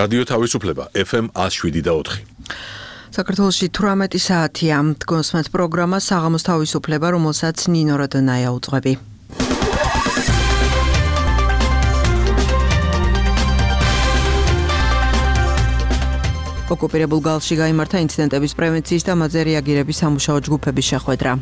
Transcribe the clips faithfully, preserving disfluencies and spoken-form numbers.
რადიო თავისუფლება ეფ ემ one oh seven და four. საქართველოში თვრამეტი საათია. გოსმეთ პროგრამა საღამოს თავისუფლება, რომელსაც ნინო როდონაია უძღვები. ოკუპირებულ გალში გაიმართა ინციდენტების პრევენციის და მათზე რეაგირების სამუშაო ჯგუფების შეხვედრა.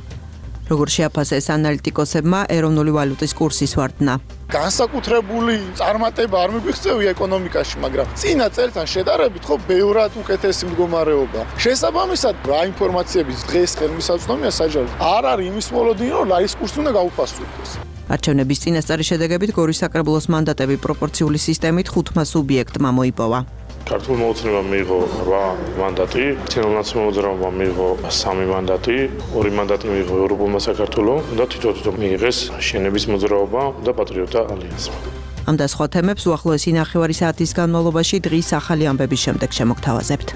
როგორ შეაფასეს ანალიტიკოსებმა ეროვნული ვალუტის კურსის ვარდნა. განსაკუთრებული წარმატება არ მიგწევია ეკონომიკაში, მაგრამ წინა წელთან შედარებით ხო ბევრად უკეთესი მდგომარეობა. შესაბამისად, რა ინფორმაციების დღეს ხელმისაწვდომია საჯაროდ არ არის იმის მოლოდინი, რომ ლარის კურსი უნდა გაუფასუდეს. არჩევნების წინასწარი შედეგებით გორის საკრებულოს მანდატები პროპორციული სისტემით ხუთმა სუბიექტმა მოიპოვა. ქართულ მოუწნევამ მიიღო რვა მანდატი, ქართულ ნაციონალურმა მიიღო სამი მანდატი, ორი მანდატი მიიღო ევროპულმა საქართველოს და თვითონ მიიღეს შენების მოძრაობა და პატრიოტთა ალიანსმა. ამ და სხვა თემებს უახლოესი ნახევარი საათის განმავლობაში დღის ახალი ამბების შემდეგ შემოგთავაზებთ.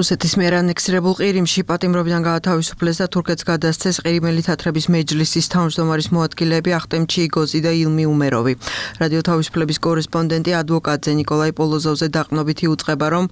რუსეთის მიერ ანექსირებულ ყირიმში პატიმრობიდან გაათავისუფლეს და თურქეთს გადასცეს ყირიმელი თათრების მეჯლისის თავმჯდომარის მოადგილეები ახტემ ჩიიგოზი და ილმი უმეროვი. რადიო თავისუფლების კორესპონდენტი ადვოკატზე ნიკოლაი პოლოზოვზე დაყრდნობითი უწყება, რომ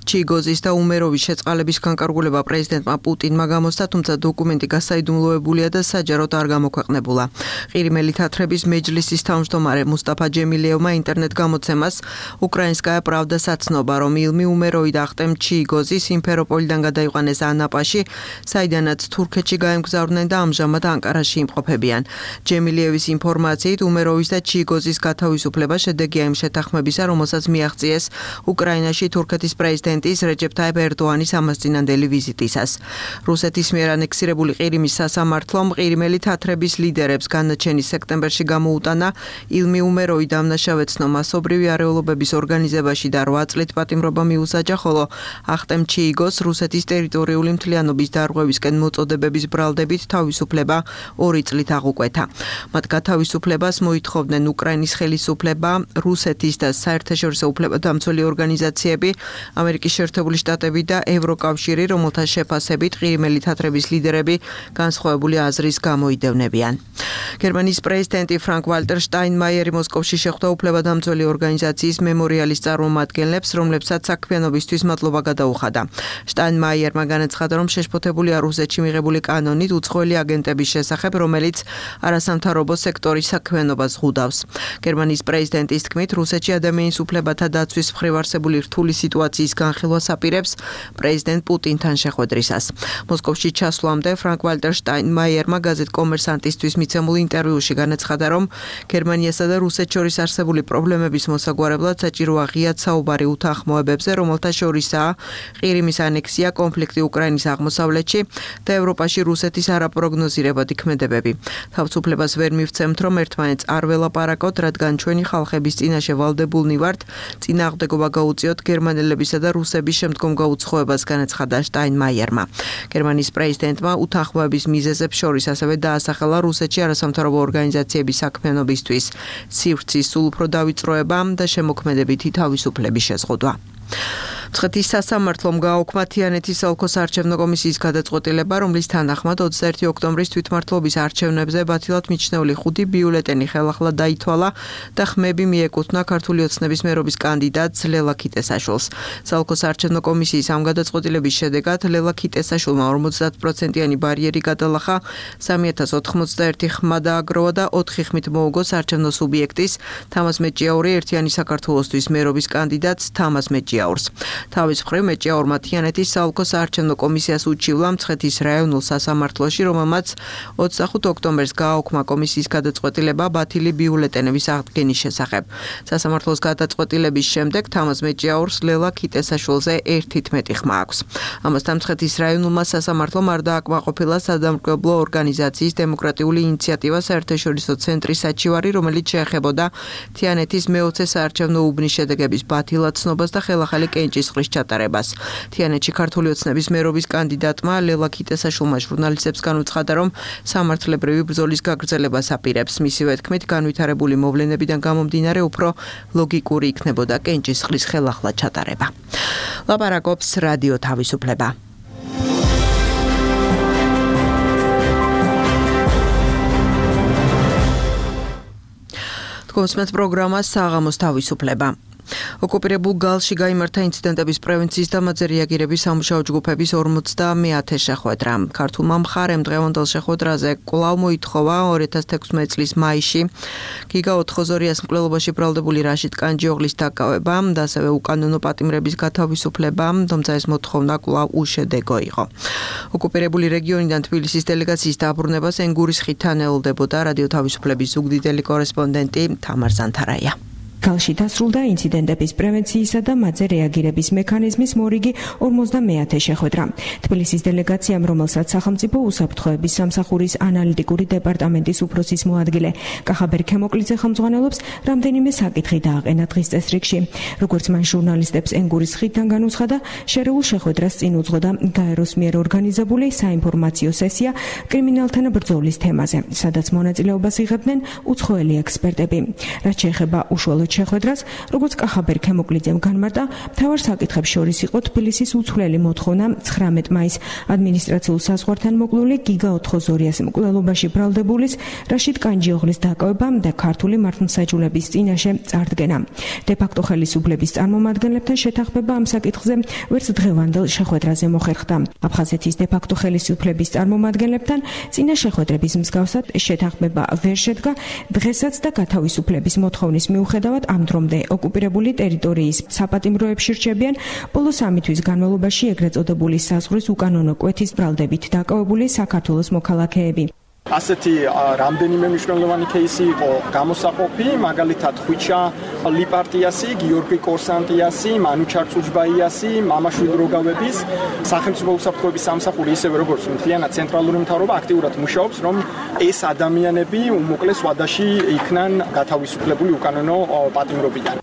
ჩიიგოზის და უმეროვის შეწყალების განკარგულება პრეზიდენტმა პუტინმა გამოსცა, თუმცა დოკუმენტი გასაიდუმლოებულია და საჯაროდ არ გამოქვეყნებულა. ყირიმელი თათრების მეჯლისის თავმჯდომარე მუსტაფა ჯემილიევმა ინტერნეტ გამოცემას უკრაინსკაია პრავდა საცნობა, რომ ილმი უმეროვი და ახტემ ჩიიგოზი სიმფეროპოლიდან გადაიყვანეს ანაპაში, საიდანაც თურქეთში გაემგზავრნენ და ამჟამად ანკარაში იმყოფებიან. ჯემილიევის ინფორმაციით, უმეროვის და ჩიიგოზის გათავისუფლება შედეგია იმ შეთანხმებისა, რომელსაც მიაღწიეს უკრაინაში თურქეთის პრეზიდენტის რეჯეფ ტაიპ ერდოანის ამასწინანდელი ვიზიტისას. რუსეთის მიერ ანექსირებული ყირიმის სასამართლომ ყირიმელი თათრების ლიდერებს განაჩენის სექტემბერში გამოუტანა ილმი უმეროვი დამნაშავე ცნო მასობრივი არეულობების ორგანიზებაში და რვა წლით პატიმრობა მიუსაჯა, ხოლო ახტემ ჩიიგოს რუსეთის ტერიტორიული მთლიანობის დარღვევისკენ მოწოდებების ბრალდებით თავისუფლება ორი წლით აღუკვეთა. მათ გათავისუფლებას მოითხოვდნენ უკრაინის ხელისუფლება, რუსეთის და საერთაშორისო უფლებადამცველი ორგანიზაციები, ამერიკის შეერთებული შტატები და ევროკავშირი, რომელთა შეფასებით ყირიმელი თათრების ლიდერები განსხვავებული აზრის გამოიდევნებიან. გერმანიის პრეზიდენტი ფრანკ ვალტერ შტაინმაიერი მოსკოვში შეხვდა უფლებადამცველი ორგანიზაციის მემორიალის წარმომადგენლებს, რომლებსაც საქმიანობისთვის მადლობა გადაუხადა. შტაინმაიერმა განაცხადა, რომ შეშფოთებულია რუსეთში მიღებული კანონით უცხოელი აგენტების შესახებ, რომელიც არასამთავრობო სექტორის საქმიანობას ზღუდავს. გერმანიის პრეზიდენტის თქმით, რუსეთში ადამიანის უფლებათა დაცვის მხრივ არსებული რთული სიტუაციის განხილვას აპირებს პრეზიდენტ პუტინთან შეხვედრისას. მოსკოვში ჩასვლამდე ფრანკ ვალტერ შტაინმაიერმა გაზეთ კომერსანტისთვის მიცემულ ინტერვიუში განაცხადა, რომ გერმანიასა და რუსეთს შორის არსებული პრობლემების მოსაგვარებლად საჭიროა ღიად საუბარი უთანხმოებებზე, რომელთა შორისაა ყირიმის ანექსია, კონფლიქტი უკრაინის აღმოსავლეთში და ევროპაში რუსეთის არაპროგნოზირებადი ქმედებები. თავისუფლებას ვერ მივცემთ, რომ ერთმანეთს არ ველაპარაკოთ, რადგან ჩვენი ხალხების წინაშე ვალდებულნი ვართ, წინააღმდეგობა გაუწიოთ გერმანელებისა და რუსების შემდგომ გაუცხოებას, განაცხადა შტაინმაიერმა. გერმანიის პრეზიდენტმა უთანხმოების მიზეზებს შორის ასევე დაასახელა რუსეთში არასამთავრობო ორგანიზაციების საქმიანობისთვის სივრცის სულ უფრო დავიწროება და შემოქმედებითი თავისუფლების შეზღუდვა. მცხეთის სასამართლომ გააუქმა თიანეთის ოლქოს არჩევნო კომისიის გადაწყვეტილება, რომლის თანახმად ოცდაერთი ოქტომბრის თვითმმართველობის არჩევნებზე ბათილად მიჩნეული ხუთი ბიულეტენი ხელახლა დაითვალა და ხმები მიეკუთვნა ქართული ოცნების მერობის კანდიდატს ლელა ქიტესაშვილს. საოლქოს არჩევნო კომისიის ამ გადაწყვეტილების შედეგად ლელა ქიტესაშვილმა ორმოცდაათ პროცენტიანი ბარიერი გადალახა, სამი ათას ოთხმოცდაერთი ხმა დააგროვა და ოთხი ხმით მოუგო არჩევნო სუბიექტის თამაზ მეჭიაური ერთიანი საქართველოსთვის მერობის კანდიდატს თამაზ მეჭიაურს. თავის მხრივ მეჭიაურმა თიანეთის საოლქო საარჩევნო კომისიას უჩივლა მცხეთის რაიონულ სასამართლოში, რომელმაც ოცდახუთ ოქტომბერს გააუქმა კომისიის გადაწყვეტილება ბათილი ბიულეტენების აღდგენის შესახებ. სასამართლოს გადაწყვეტილების შემდეგ თამაზ მეჭიაურს ლელა ქიტესაშვილზე ერთით მეტი ხმა აქვს. ამასთან მცხეთის რაიონულმა სასამართლომ არ დააკმაყოფილა სადამკვირვებლო ორგანიზაციის დემოკრატიული ინიციატივა საერთაშორისო ცენტრის საჩივარი, რომელიც შეეხებოდა თიანეთის მეოცე საარჩევნო უბნის შედეგების ბათილად ცნობას და ხელახალი კენჭის ყრის ჩატარებას. თიანეთში ქართული ოცნების მერობის კანდიდატმა ლელა ქიტესაშვილმა ჟურნალისტებს განუცხადა, რომ სამართლებრივი ბრძოლის გაგრძელებას აპირებს. მისივე თქმით, განვითარებული მოვლენებიდან გამომდინარე უფრო ლოგიკური იქნებოდა კენჭის ყრის ხელახლა ჩატარება. ლაპარაკობს რადიო თავისუფლება. თქოსმეთ პროგრამას საღამოს თავისუფლება. ოკუპირებულ გალში გაიმართა ინციდენტების პრევენციის და მათზე რეაგირების სამუშაო ჯგუფების ორმოცდამეათე შეხვედრა. ქართულმა მხარემ დღევანდელ შეხვედრაზე კვლავ მოითხოვა ორი ათას თექვსმეტ წლის მაისში გიგა ოთხოზორიას მკვლელობაში ბრალდებული რაშიდ კანჯიოღლის დაკავება და ასევე უკანონო პატიმრების გათავისუფლება, თუმცა ეს მოთხოვნა კვლავ უშედეგო იყო. ოკუპირებული რეგიონიდან თბილისის დელეგაციის დაბრუნებას ენგურის ხიდთან ელოდებოდა რადიო თავისუფლების ზუგდიდელი კორესპონდენტი თამარ ზანთარაია. გალში დასრულდა ინციდენტების პრევენციისა და მათზე რეაგირების მექანიზმის მორიგი ორმოცდამეათე შეხვედრა. თბილისის დელეგაციამ, რომელსაც სახელმწიფო უსაფრთხოების სამსახურის ანალიტიკური დეპარტამენტის უფროსის მოადგილე კახაბერ ქემოკლიძე ხელმძღვანელობს, რამდენიმე საკითხი დააყენა დღის წესრიგში. როგორც მან ჟურნალისტებს ენგურის ხიდთან განუცხადა, შერეულ შეხვედრას წინ უძღოდა გაეროს მიერ ორგანიზებული საინფორმაციო სესია კრიმინალთან ბრძოლის თემაზე, სადაც მონაწილეობას იღებდნენ უცხოელი ექსპერტები. რაც შეეხება უშუალოდ შეხვედრას, როგორც კახაბერ ქემოკლიძემ განმარტა, მთავარ საკითხებს შორის იყო თბილისის უცვლელი მოთხოვნა ცხრამეტ მაისს ადმინისტრაციულ საზღვართან მოკლული გიგა ოთხოზორიას მკვლელობაში ბრალდებულის რაშიდ კანჯიოღლის დაკავება და ქართული მართლმსაჯულების წინაშე წარდგენა. დე-ფაქტო ხელისუფლების წარმომადგენლებთან შეთანხმება ამ საკითხზე ვერც დღევანდელ შეხვედრაზე მოხერხდა. აფხაზეთის დე-ფაქტო ხელისუფლების წარმომადგენლებთან წინა შეხვედრების მსგავსად შეთანხმება ვერ შედგა დღესაც და გათავისუფლების მოთხოვნის მიუხედავად ამ დრომდე ოკუპირებული ტერიტორიის საპატიმროებში რჩებიან ბოლო სამი თვის განმავლობაში ეგრეთ წოდებული საზღვრის უკანონო კვეთის ბრალდებით დაკავებული საქართველოს მოქალაქეები. ასეთი რამდენიმე მნიშვნელოვანი кейსი იყო გამოსაყოფი, მაგალითად ხვიჩა ლიპარტიასი, გიორგი კორსანტიასი, მანუჩარ წუჯბაიასი, მამაშვიდ როგავების სახელმწიფო უსაფრთხოების სამსახური, ისევე როგორც მთლიანად ცენტრალური მთავრობა აქტიურად მუშაობს, რომ ეს ადამიანები უმოკლეს ვადაში იქნან გათავისუფლებული უკანონო პატიმრობიდან.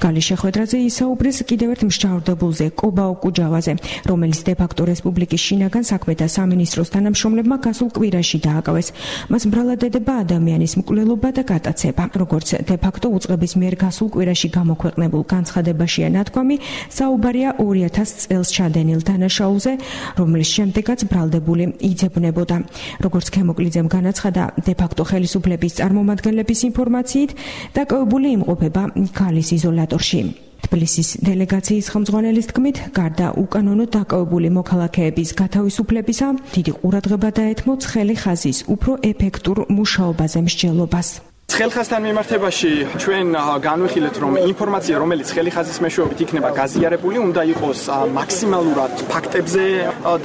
გალის შეხვედრაზე ისაუბრეს კიდევ ერთ მსჯავრდებულზე, კობაო კუჯავაზე, რომელიც დე-ფაქტო რესპუბლიკის შინაგან საქმეთა სამინისტროს თანამშრომლებმა გასულ კვირაში დააკავეს. მას ბრალად ედება ადამიანის მკვლელობა და გატაცება. როგორც დე-ფაქტო უწყების მიერ გასულ კვირაში გამოქვეყნებულ განცხადებაშია ნათქვამი, საუბარია ორი ათას წელს ჩადენილ დანაშაულზე, რომლის შემდეგაც ბრალდებული იძებნებოდა. როგორც ქემოკლიძემ განაცხადა, დე-ფაქტო ხელისუფლების წარმომადგენლების ინფორმაციით, დაკავებული იმყოფება გალის იზოლატორში. თბილისის დელეგაციის ხელმძღვანელის თქმით, გარდა უკანონო დაკავებული მოქალაქეების გათავისუფლებისა, დიდი ყურადღება დაეთმო ცხელი ხაზის უფრო ეფექტურ მუშაობაზე მსჯელობას. ცხელხაზთან მიმართებაში ჩვენ განვიხილეთ, რომ ინფორმაცია, რომელიც ცხელი ხაზის მეშვეობით იქნება გაზიარებული, უნდა იყოს მაქსიმალურად ფაქტებზე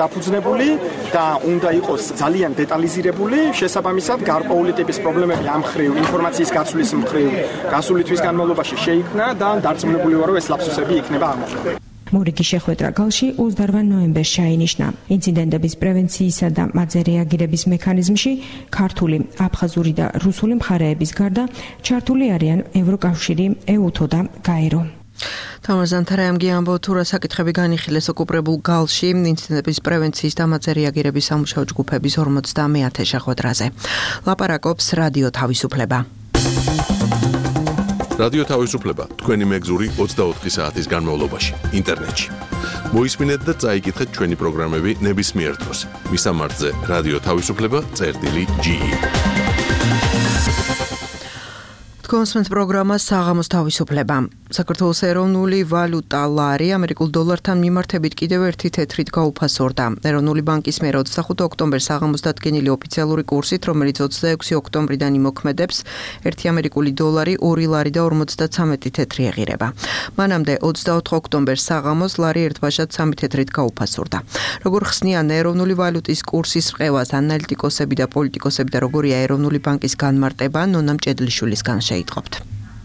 დაფუძნებული და უნდა იყოს ძალიან დეტალიზირებული. შესაბამისად, გარკვეული ტიპის პრობლემები ამ მხრივ ინფორმაციის გაცვლის მხრივ გასული თვის განმავლობაში შეიქმნა და დარწმუნებული ვარ, რომ ეს ლაფსუსები იქნება აღმოჩნდა. მორიგი შეხვედრა გალში ოცდაოთხ ნოემბერს ჩაინიშნა. ინციდენტების პრევენციისა და მათზე რეაგირების მექანიზმში ქართული, აფხაზური და რუსული მხარეების გარდა ჩართული არიან ევროკავშირი, ეუთო და გაერო. თამარ ზანთარაიამ გიამბო თუ რა საკითხები განიხილეს ოკუპირებულ გალში ინციდენტების პრევენციის და მათზე რეაგირების სამუშაო ჯგუფების ორმოცდამეათე შეხვედრაზე. ლაპარაკობს რადიო თავისუფლება. რადიო თავისუფლება თქვენი მეგზური ოცდაოთხი საათის განმავლობაში ინტერნეტში. მოისმინეთ და წაიკითხეთ ჩვენი პროგრამები ნებისმიერ დროს. მისამართზე რადიო თავისუფლება წერტილი ჯი ი. თქოსმეთ პროგრამას საღამოს თავისუფლება. საქართველოს ეროვნული ვალუტა ლარი ამერიკულ დოლართან მიმართებით კიდევ ერთი თეთრით გაუფასორდა. ეროვნული ბანკის მიერ ოცდახუთი ოქტომბერს საღამოს დადგენილი ოფიციალური კურსით, რომელიც ოცდაექვსი ოქტომბრიდან იმოქმედებს, ერთი ამერიკული დოლარი ორი ლარი და ორმოცდაცამეტი თეთრი ეღირება. მანამდე ოცდაოთხ ოქტომბერს საღამოს ლარი ერთბაშად სამი თეთრით გაუფასორდა. როგორ ხსნიან ეროვნული ვალუტის კურსის რყევას ანალიტიკოსები და პოლიტიკოსები და როგორია ეროვნული ბანკის განმარტება, ნონა მჭედლიშვილისგან შეიტყობთ.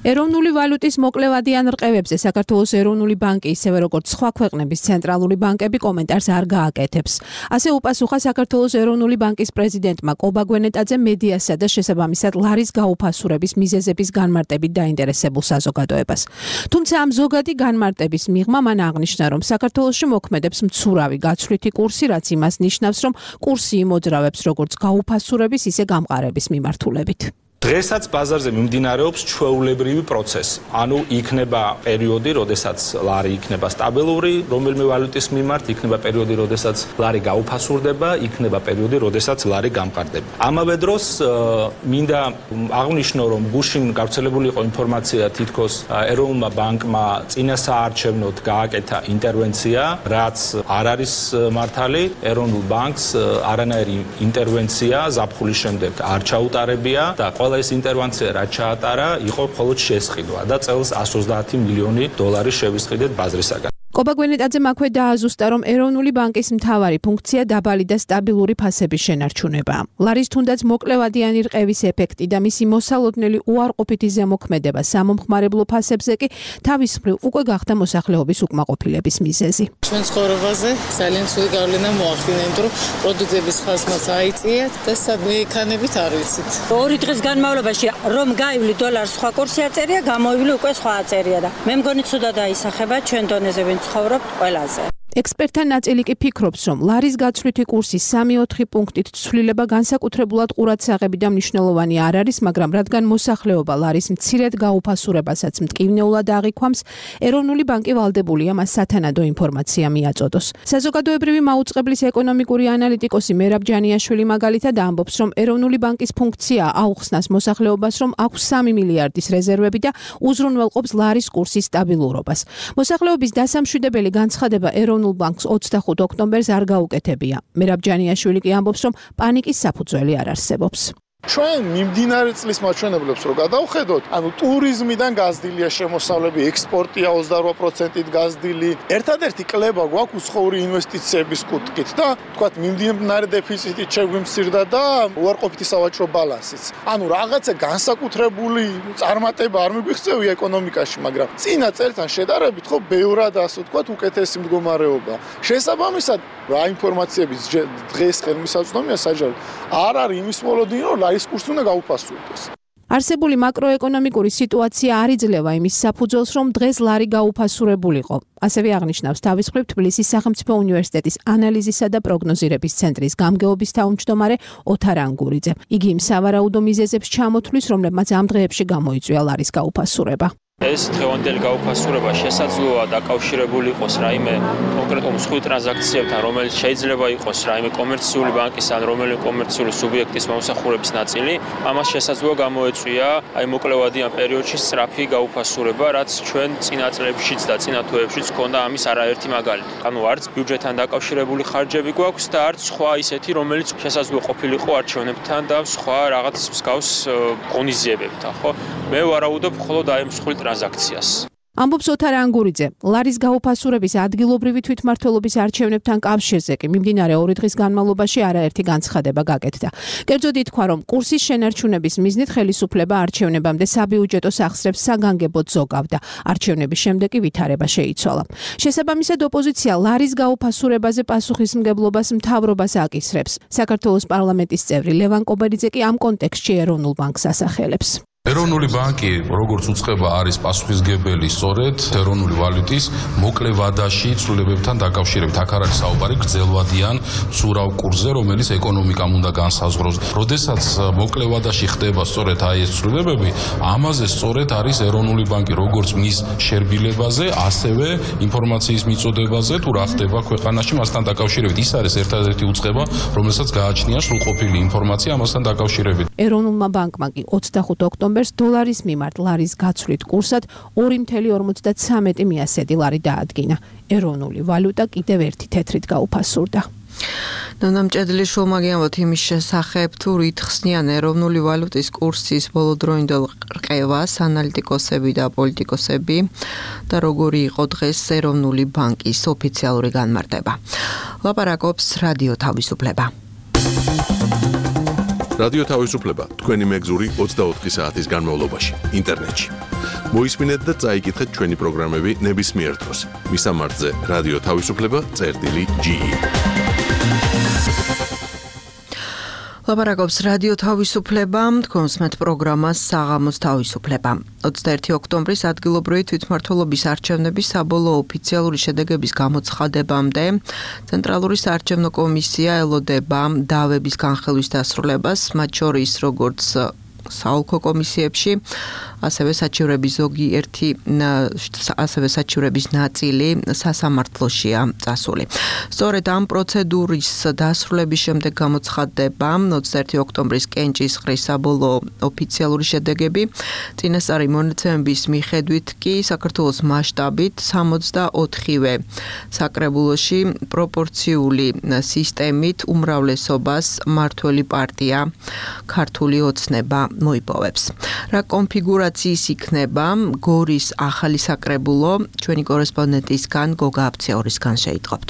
ეროვნული ვალუტის მოკლევადიან რყევებზე საქართველოს ეროვნული ბანკი, ისევე როგორც სხვა ქვეყნების ცენტრალური ბანკები კომენტარს არ გააკეთებს. ასე უპასუხა საქართველოს ეროვნული ბანკის პრეზიდენტმა კობა გვენეტაძე მედიასა და შესაბამისად ლარის გაუფასურების მიზეზების განმარტებით დაინტერესებულ საზოგადოებას. თუმცა ამ ზოგადი განმარტების მიღმა მან აღნიშნა, რომ საქართველოში მოქმედებს მცურავი გაცვლითი კურსი, რაც იმას ნიშნავს, რომ კურსი იმოძრავებს როგორც გაუფასურების, ისე გამყარების მიმართულებით. დღესაც ბაზარზე მიმდინარეობს ჩვეულებრივი პროცესი. ანუ იქნება პერიოდი, როდესაც ლარი იქნება სტაბილური, რომელიმე ვალუტის მიმართ, იქნება პერიოდი, როდესაც ლარი გაუფასურდება, იქნება პერიოდი, როდესაც ლარი გამყარდება. ამავე დროს მინდა აღვნიშნო, რომ გუშინ გავრცელებული იყო ინფორმაცია, თითქოს ეროვნულმა ბანკმა წინა საარჩევნოდ გააკეთა ინტერვენცია, რაც არ არის მართალი. ეროვნულ ბანკს არანაირი ინტერვენცია ზაფხულის შემდეგ არ ჩაუტარებია და ყველა ეს ინტერვენცია რაც ჩაატარა, იყო მხოლოდ შესყიდვა და წელს εκατს ოცდაათი მილიონი დოლარი შევისყიდეთ ბაზრისაგან. კობა გვენეტაძემ აქვე დააზუსტა, რომ ეროვნული ბანკის მთავარი ფუნქცია დაბალი და სტაბილური ფასების შენარჩუნებაა. ლარის თუნდაც მოკლევადიანი რყევის ეფექტი და მისი მოსალოდნელი უარყოფითი ზემოქმედება სამომხმარებლო ფასებზე კი თავის მხრივ უკვე გახდა მოსახლეობის უკმაყოფილების მიზეზი. ჩვენ ცხოვრებაზე ძალიან ცუდი გავლენა მოახდინა, იმიტომ რომ პროდუქტების ხასმაც აიწიათ და სადმე იქანებით არ ვიცით. ორი დღის განმავლობაში რომ გაივლი დოლარს სხვა კურსი აწერია, გამოივლი უკვე სხვა აწერია და მე მგონი ცუდად აისახება ჩვენ დონეზე ცხოვრობ ყველაზე. ექსპერტთა ნაწილი კი ფიქრობს, რომ ლარის გაცვლითი კურსის სამი ოთხი პუნქტით ცვლილება განსაკუთრებულად ყურადსაღები და მნიშვნელოვანი არ არის, მაგრამ რადგან მოსახლეობა ლარის მცირედ გაუფასურებასაც მტკივნეულად აღიქვამს, ეროვნული ბანკი ვალდებულია მას სათანადო ინფორმაცია მიაწოდოს. საზოგადოებრივი მაუწყებლის ეკონომიკური ანალიტიკოსი მერაბ ჯანიაშვილი მაგალითად ამბობს, რომ ეროვნული ბანკის ფუნქცია აუხსნას მოსახლეობას, რომ აქვს სამი მილიარდის რეზერვები და უზრუნველყოფს ლარის კურსის სტაბილურობას. მოსახლეობის დასამშვიდებელი განცხადება ეროვნულ ბანკს ოცდახუთ ოქტომბერს არ გაუკეთებია. მერაბ ჯანიაშვილი კი ამბობს, რომ პანიკის საფუძველი არ არსებობს. ჩვენ მიმდინარე წლის მაჩვენებლებს რო გადავხედოთ, ანუ ტურიზმიდან გაზრდილია შემოსავლები, ექსპორტია ოცდარვა პროცენტით გაზრდილი. ერთადერთი კლება გვაქვს უცხოური ინვესტიციების კუთხით და თქვათ მიმდინარე დეფიციტით შეგვიმცირდა და უარყოფითი სავაჭრო ბალანსიც. ანუ რაღაცა განსაკუთრებული წარმატება არ მიგვიღწევია ეკონომიკაში, მაგრამ წინა წელთან შედარებით ხო ბევრად ასე ვთქვათ უკეთესი მდგომარეობა. შესაბამისად, რა ინფორმაციების დღეს ხელმისაწვდომია საჯარო არ არის იმის მოლოდინი, რომ ლარის კურსი უნდა გაუფასურდეს. არსებული მაკროეკონომიკური სიტუაცია არ იძლევა იმის საფუძველს, რომ დღეს ლარი გაუფასურებულიყო. ასევე აღნიშნავს თავის მხრივ თბილისის სახელმწიფო უნივერსიტეტის ანალიზისა და პროგნოზირების ცენტრის გამგეობის თავმჯდომარე ოთარ ანგურიძე. იგი იმ სავარაუდო მიზეზებს ჩამოთვლის, რომლებმაც ამ დღეებში გამოიწვია ლარის გაუფასურება. ეს დღევანდელი გაუფასურება შესაძლოა დაკავშირებული იყოს რაიმე კონკრეტულ მსხვილ ტრანზაქციებთან, რომელიც შეიძლება იყოს რაიმე კომერციული ბანკის ან რომელიმე კომერციული სუბიექტის მომსახურების ნაწილი. ამას შესაძლოა გამოეწვია აი მოკლევადიან პერიოდში სწრაფი გაუფასურება, რაც ჩვენ წინა წლებშიც და წინა თვეებშიც ჰქონდა ამის არაერთი მაგალითი. ანუ არც ბიუჯეტთან დაკავშირებული ხარჯები გვაქვს და არც სხვა ისეთი, რომელიც შესაძლოა ყოფილიყო არჩევნებთან და სხვა რაღაც მსგავს ღონისძიებებთან, ხო? მე ვარაუდობ მხოლოდ აი მსხვილ ტრანზაქციას. ამბობს ოთარ ანგურიძე. ლარის გაუფასურების ადგილობრივი თვითმმართველობის არჩევნებთან კავშირზე კი მიმდინარე ორი დღის განმავლობაში არაერთი განცხადება გაკეთდა. კერძოდ ითქვა, რომ კურსის შენარჩუნების მიზნით ხელისუფლება არჩევნებამდე საბიუჯეტო სახსრებს საგანგებოდ ზოგავდა. არჩევნების შემდეგ კი ვითარება შეიცვალა. შესაბამისად, ოპოზიცია ლარის გაუფასურებაზე პასუხისმგებლობას მთავრობას აკისრებს. საქართველოს პარლამენტის წევრი ლევან კობერიძე კი ამ კონტექსტში ეროვნულ ბანკს ასახელებს. ეროვნული ბანკი, როგორც უწყება, არის პასუხისმგებელი სწორედ ეროვნული ვალუტის მოკლევადაში ცვლილებებთან დაკავშირებით. აქ არის საუბარი გრძელვადიან მცურავ კურსზე, რომელიც ეკონომიკამ უნდა განსაზღვროს. როდესაც მოკლევადაში ხდება სწორედ აი ეს ცვლილებები, ამაზე სწორედ არის ეროვნული ბანკი, როგორც მის შერბილებაზე, ასევე ინფორმაციის მიწოდებაზე, თუ რა ხდება ქვეყანაში მასთან დაკავშირებით. ის არის ერთადერთი უწყება, რომელსაც გააჩნია სრულყოფილი ინფორმაცია ამასთან დაკავშირებით. ეროვნულმა ბანკმა კი ოცდახუთ ოქტომბერს დოლარის მიმართ ლარის გაცვლით კურსად ორი ათეული ორმოცდათვრამეტი მიასედი ლარი დაადგინა. ეროვნული ვალუტა კიდევ ერთი თეთრით გაუფასურდა. ნამჭედლის შუამაგიანოთ იმის შესახებ, თუ რით ხსნიან ეროვნული ვალუტის კურსის ბოლოდროინდელ რყევას ანალიტიკოსები და პოლიტიკოსები და როგორი იყო დღეს ეროვნული ბანკის ოფიციალური განმარტება. ლაპარაკობს რადიო თავისუფლება. რადიო თავისუფლება თქვენი მეგზური ოცდაოთხი საათის განმავლობაში ინტერნეტში. მოისმინეთ და წაიკითხეთ ჩვენი პროგრამები ნებისმიერ დროს. მისამართზე რადიო თავისუფლება წერტილი ჯი ი. ლაპარაკობს რადიო თავისუფლება, თქვენსმეთ პროგრამას საღამოს თავისუფლება. ოცდაერთი ოქტომბრის ადგილობრივი თვითმმართველობის არჩევნების საბოლოო ოფიციალური შედეგების გამოცხადებამდე ცენტრალური საარჩევნო კომისია ელოდება დავების განხილვის დასრულებას, მათ შორის როგორც საოლქო კომისიებში, ასევე საჩივრების ზოგიერთი ასევე საჩივრების ნაწილი სასამართლოშია წასული. სწორედ ამ პროცედურის დასრულების შემდეგ გამოცხადდება ოცდაერთი ოქტომბრის კენჭისყრის საბოლოო ოფიციალური შედეგები. წინასწარი მონაცემების მიხედვით კი საქართველოს მასშტაბით სამოცდაოთხივე საკრებულოში პროპორციული სისტემით უმრავლესობას მმართველი პარტია ქართული ოცნება მოიპოვებს. რა კონფიგურაციის იქნება გორის ახალი საკრებულო, ჩვენი კორესპონდენტისგან გოგა აფცეორისგან შეიტყობთ.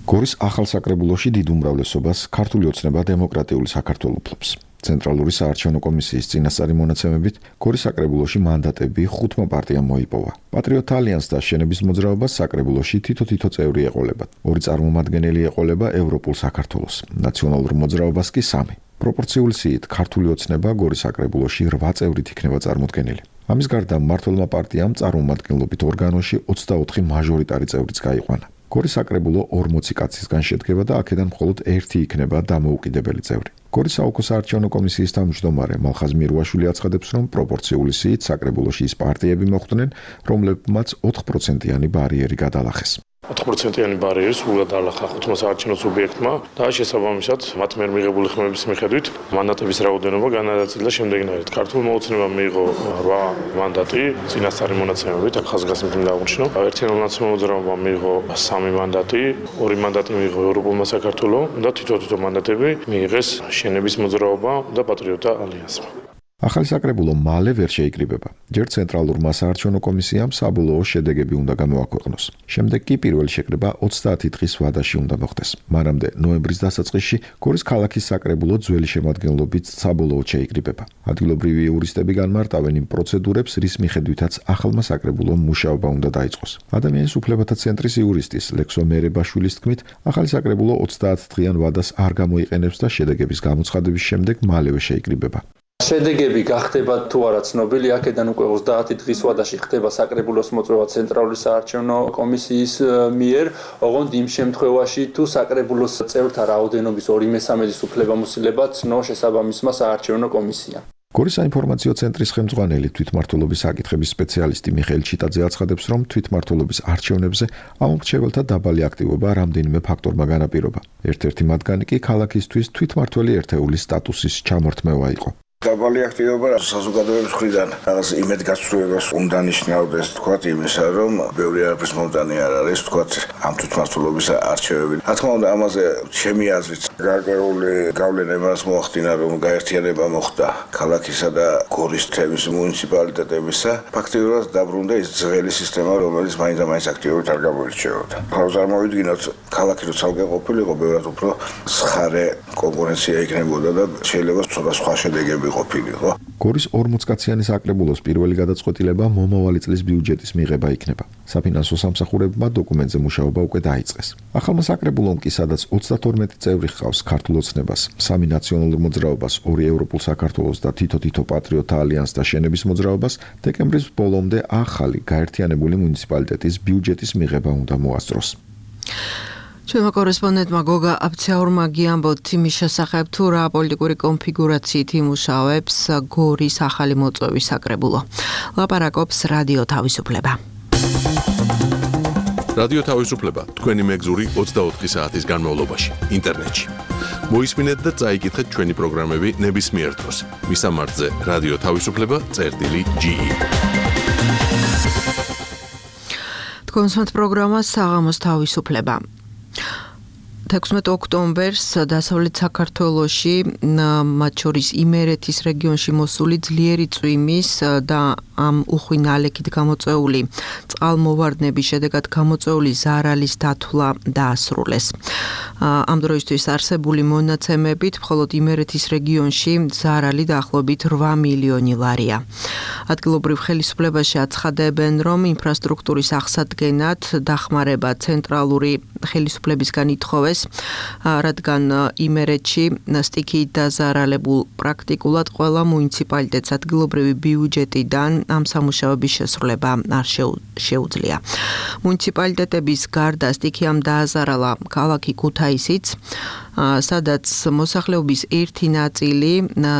გორის ახალ საკრებულოში დიდ უმრავლესობას ქართული ოცნება დემოკრატიული საქართველოს ფლობს. ცენტრალური საარჩევნო კომისიის წინასწარი მონაცემებით გორის საკრებულოში მანდატები ხუთმა პარტიამ მოიპოვა. პატრიოტ ალიანსს და შენების მოძრაობას საკრებულოში თითო-თითო წევრი ეყოლება. ორი წარმომადგენელი ეყოლება ევროპულ საქართველოს, ნაციონალურ მოძრაობას კი სამი. პროპორციული სიით ქართული ოცნება გორის საკრებულოში რვა წევრით იქნება წარმოდგენილი. ამის გარდა მმართველმა პარტიამ წარმომადგენლობით ორგანოში ოცდაოთხი მაჟორიტარი წევრიც გაიყვანა. გორის საკრებულო ორმოცი კაცისგან შედგება და აქედან მხოლოდ ერთი იქნება დამოუკიდებელი წევრი. გორის საოლქო საარჩევნო კომისიის თავმჯდომარე მალხაზ მირუაშვილი აცხადებს, რომ პროპორციული სიით საკრებულოში ის პარტიები მოხვდნენ, რომლებმაც ოთხ პროცენტიანი ბარიერი გადალახეს. ოთხ პროცენტიანი ბარიერი სრულად დაალახა ხუთმა საარჩევნო სუბიექტმა და შესაბამისად მათ მიერ მიღებული ხმების მიხედვით მანდატების რაოდენობა განადაწილდა შემდეგნაირად. ქართულმა ოცნებამ მიიღო რვა მანდატი, წინასწარი მონაცემებით, აქ ხაზგასმით უნდა აღნიშნო. ერთიანულ ნაციონალურ მოძრაობამ მიიღო სამი მანდატი, ორი მანდატი მიიღო ევროპულმა საქართველოს და თითო-თითო მანდატები მიიღეს შენების მოძრაობა და პატრიოტთა ალიანსმა. ახალი საკრებულო მალე ვერ შეიკრიბება. ჯერ ცენტრალურმა საარჩევნო კომისიამ საბოლოო შედეგები უნდა გამოაქვეყნოს. შემდეგ კი პირველი შეკრება ოცდაათი დღის ვადაში უნდა მოხდეს. მანამდე ნოემბრის დასაწყისში გორის ქალაქის საკრებულო ძველი შემადგენლობით საბოლოოდ შეიკრიბება. ადგილობრივი იურისტები განმარტავენ იმ პროცედურებს, რის მიხედვითაც ახალმა საკრებულომ მუშაობა უნდა დაიწყოს. ადამიანის უფლებათა ცენტრის იურისტის ლექსო მერებაშვილის თქმით, ახალი საკრებულო ოცდაათ დღიან ვადას არ გამოიყენებს და შედეგების გამოცხადების შემდეგ მალევე შეიკრიბება. შედეგები გახდება თუ არა ცნობილი, აქედან უკვე ოცდაათი დღის ვადაში ხდება საკრებულოს მოწვევა ცენტრალური საარჩევნო კომისიის მიერ, ოღონდ იმ შემთხვევაში თუ საკრებულოს წევრთა რაოდენობის ორი მესამედის უფლებამოსილება ცნო შესაბამისმა საარჩევნო კომისიამ. გორის საინფორმაციო ცენტრის ხელმძღვანელი თვითმმართველობის საკითხების სპეციალისტი მიხეილ ჩიტაძე აცხადებს, რომ თვითმმართველობის არჩევნებზე ამომრჩეველთა დაბალი აქტივობა რამდენიმე ფაქტორმა განაპირობა. ერთ-ერთი მათგანი კი ქალაქისთვის თვითმმართველი ერთეულის სტატუსის ჩამორთმევა იყო. დაბალი აქტივობა საზოგადოების მხრიდან რაღაც იმედგაცრუებას უნდა ნიშნავდეს, თქვათ იმისა, რომ ბევრი არაფრის მომდანი არ არის, თქვათ ამ თვითმმართველობის არჩევები. რა თქმა უნდა, ამაზე ჩემი აზრით გარკვეული გავლენა იმას მოახდინა, რომ გაერთიანება მოხდა ქალაქისა და გორის თემის მუნიციპალიტეტებისა. ფაქტიურად დაბრუნდა ის ძველი სისტემა, რომელიც მაინც და მაინც აქტიურად არ გამოირჩეოდა. ახლა წარმოვიდგინოთ, ქალაქი რო ცალკე ყოფილიყო, ბევრად უფრო სხარე კონკურენცია იქნებოდა და შეიძლება ცოტა სხვა შედეგები ყოფილიყო. გორის ორმოცკაციანი საკრებულოს პირველი გადაწყვეტილება მომავალი წლის ბიუჯეტის მიღება იქნება. საფინანსო სამსახურებმა დოკუმენტზე მუშაობა უკვე დაიწყეს. ახალმა საკრებულომ კი, სადაც ოცდათორმეტი წევრი ჰყავს ქართულ ოცნებას, სამი ნაციონალურ მოძრაობას, ორი ევროპულ საქართველოს და თითო-თითო პატრიოტთა ალიანსს და შენების მოძრაობას, დეკემბრის ბოლომდე ახალი გაერთიანებული მუნიციპალიტეტის ბიუჯეტის მიღება უნდა მოასწროს. ჩვენმა კორესპონდენტმა გოგა აფცეორმა გიამბოთ იმის შესახებ, თუ რა პოლიტიკური კონფიგურაციით იმუშავებს გორის ახალი მოწვევის საკრებულო. ლაპარაკობს რადიო თავისუფლება. რადიო თავისუფლება თქვენი მეგზური ოცდაოთხი საათის განმავლობაში ინტერნეტში. მოისმინეთ და წაიკითხეთ ჩვენი პროგრამები ნებისმიერ დროს. მისამართზე რადიო თავისუფლება წერტილი ჯი ი. თქვენს პროგრამა საღამოს თავისუფლება. თექვსმეტ ოქტომბერს დასავლეთ საქართველოში, მათ შორის იმერეთის რეგიონში მოსული ძლიერი წვიმის და ამ უხვი ნალექით გამოწვეული წყალმოვარდნების შედეგად გამოწვეული ზარალის დათვლა დაასრულეს. ამ დროისთვის არსებული მონაცემებით მხოლოდ იმერეთის რეგიონში ზარალი დაახლოებით რვა მილიონი ლარია. ადგილობრივ ხელისუფლებაში აცხადებენ, რომ ინფრასტრუქტურის აღსადგენად დახმარება ცენტრალური ხელისუფლებისგან ითხოვეს, რადგან იმერეთში სტიქიით დაზარალებულ პრაქტიკულად ყველა მუნიციპალიტეტს ადგილობრივი ბიუჯეტიდან ამ სამუშაოების შესრულება არ შეუძლია. მუნიციპალიტეტების გარდა სტიქიამ დააზარალა ქალაქი ქუთაისი, ქუთაისიც, სადაც მოსახლეობის ერთი ნაწილი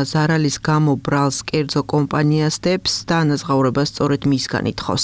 ზარალის გამო ბრალს კერძო კომპანიას დებს და ანაზღაურებას სწორედ მისგან ითხოვს.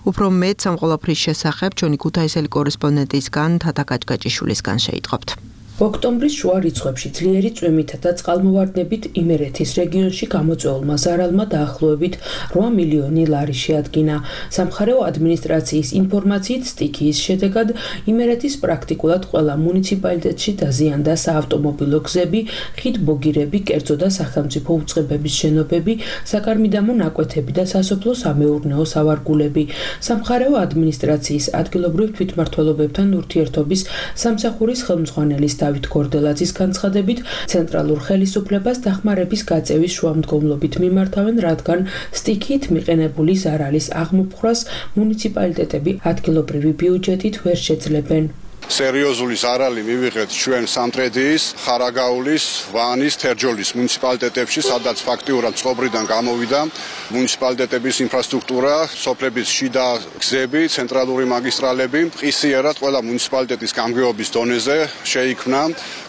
უფრო მეტ ამ ყველაფრის შესახებ ჩვენი ქუთაისელი კორესპონდენტისგან თათა კაჭკაჭიშვილისგან შეიტყობთ. ოქტომბრის შუა რიცხვებში ძლიერი წვიმითა და წყალმოვარდნებით იმერეთის რეგიონში გამოწვეულმა ზარალმა დაახლოებით რვა მილიონი ლარი შეადგინა. სამხარეო ადმინისტრაციის ინფორმაციით სტიქიის შედეგად იმერეთის პრაქტიკულად ყველა მუნიციპალიტეტში დაზიანდა საავტომობილო გზები, ხიდბოგირები, კერძო და სახელმწიფო უწყებების შენობები, საკარმიდამო ნაკვეთები და სასოფლო-სამეურნეო სავარგულები. სამხარეო ადმინისტრაციის ადგილობრივ თვითმმართველობებთან ურთიერთობის სამსახურის ხელმძღვანელის დავით გორდელაძის განცხადებით, ცენტრალურ ხელისუფლებას დახმარების გაწევის შუამდგომლობით მიმართავენ, რადგან სტიქიით მიყენებული ზარალის აღმოფხვრას მუნიციპალიტეტები ადგილობრივი ბიუჯეტით ვერ შეძლებენ. სერიოზული ზარალი მივიღეთ ჩვენ სამტრედიის, ხარაგაულის, ვანის, თერჯოლის მუნიციპალიტეტებში, სადაც ფაქტიურად წყობრიდან გამოვიდა მუნიციპალიტეტების ინფრასტრუქტურა, სოფლების შიდა გზები, ცენტრალური მაგისტრალები. ყისიერად ყველა მუნიციპალიტეტის გამგეობის დონეზე შეიქმნა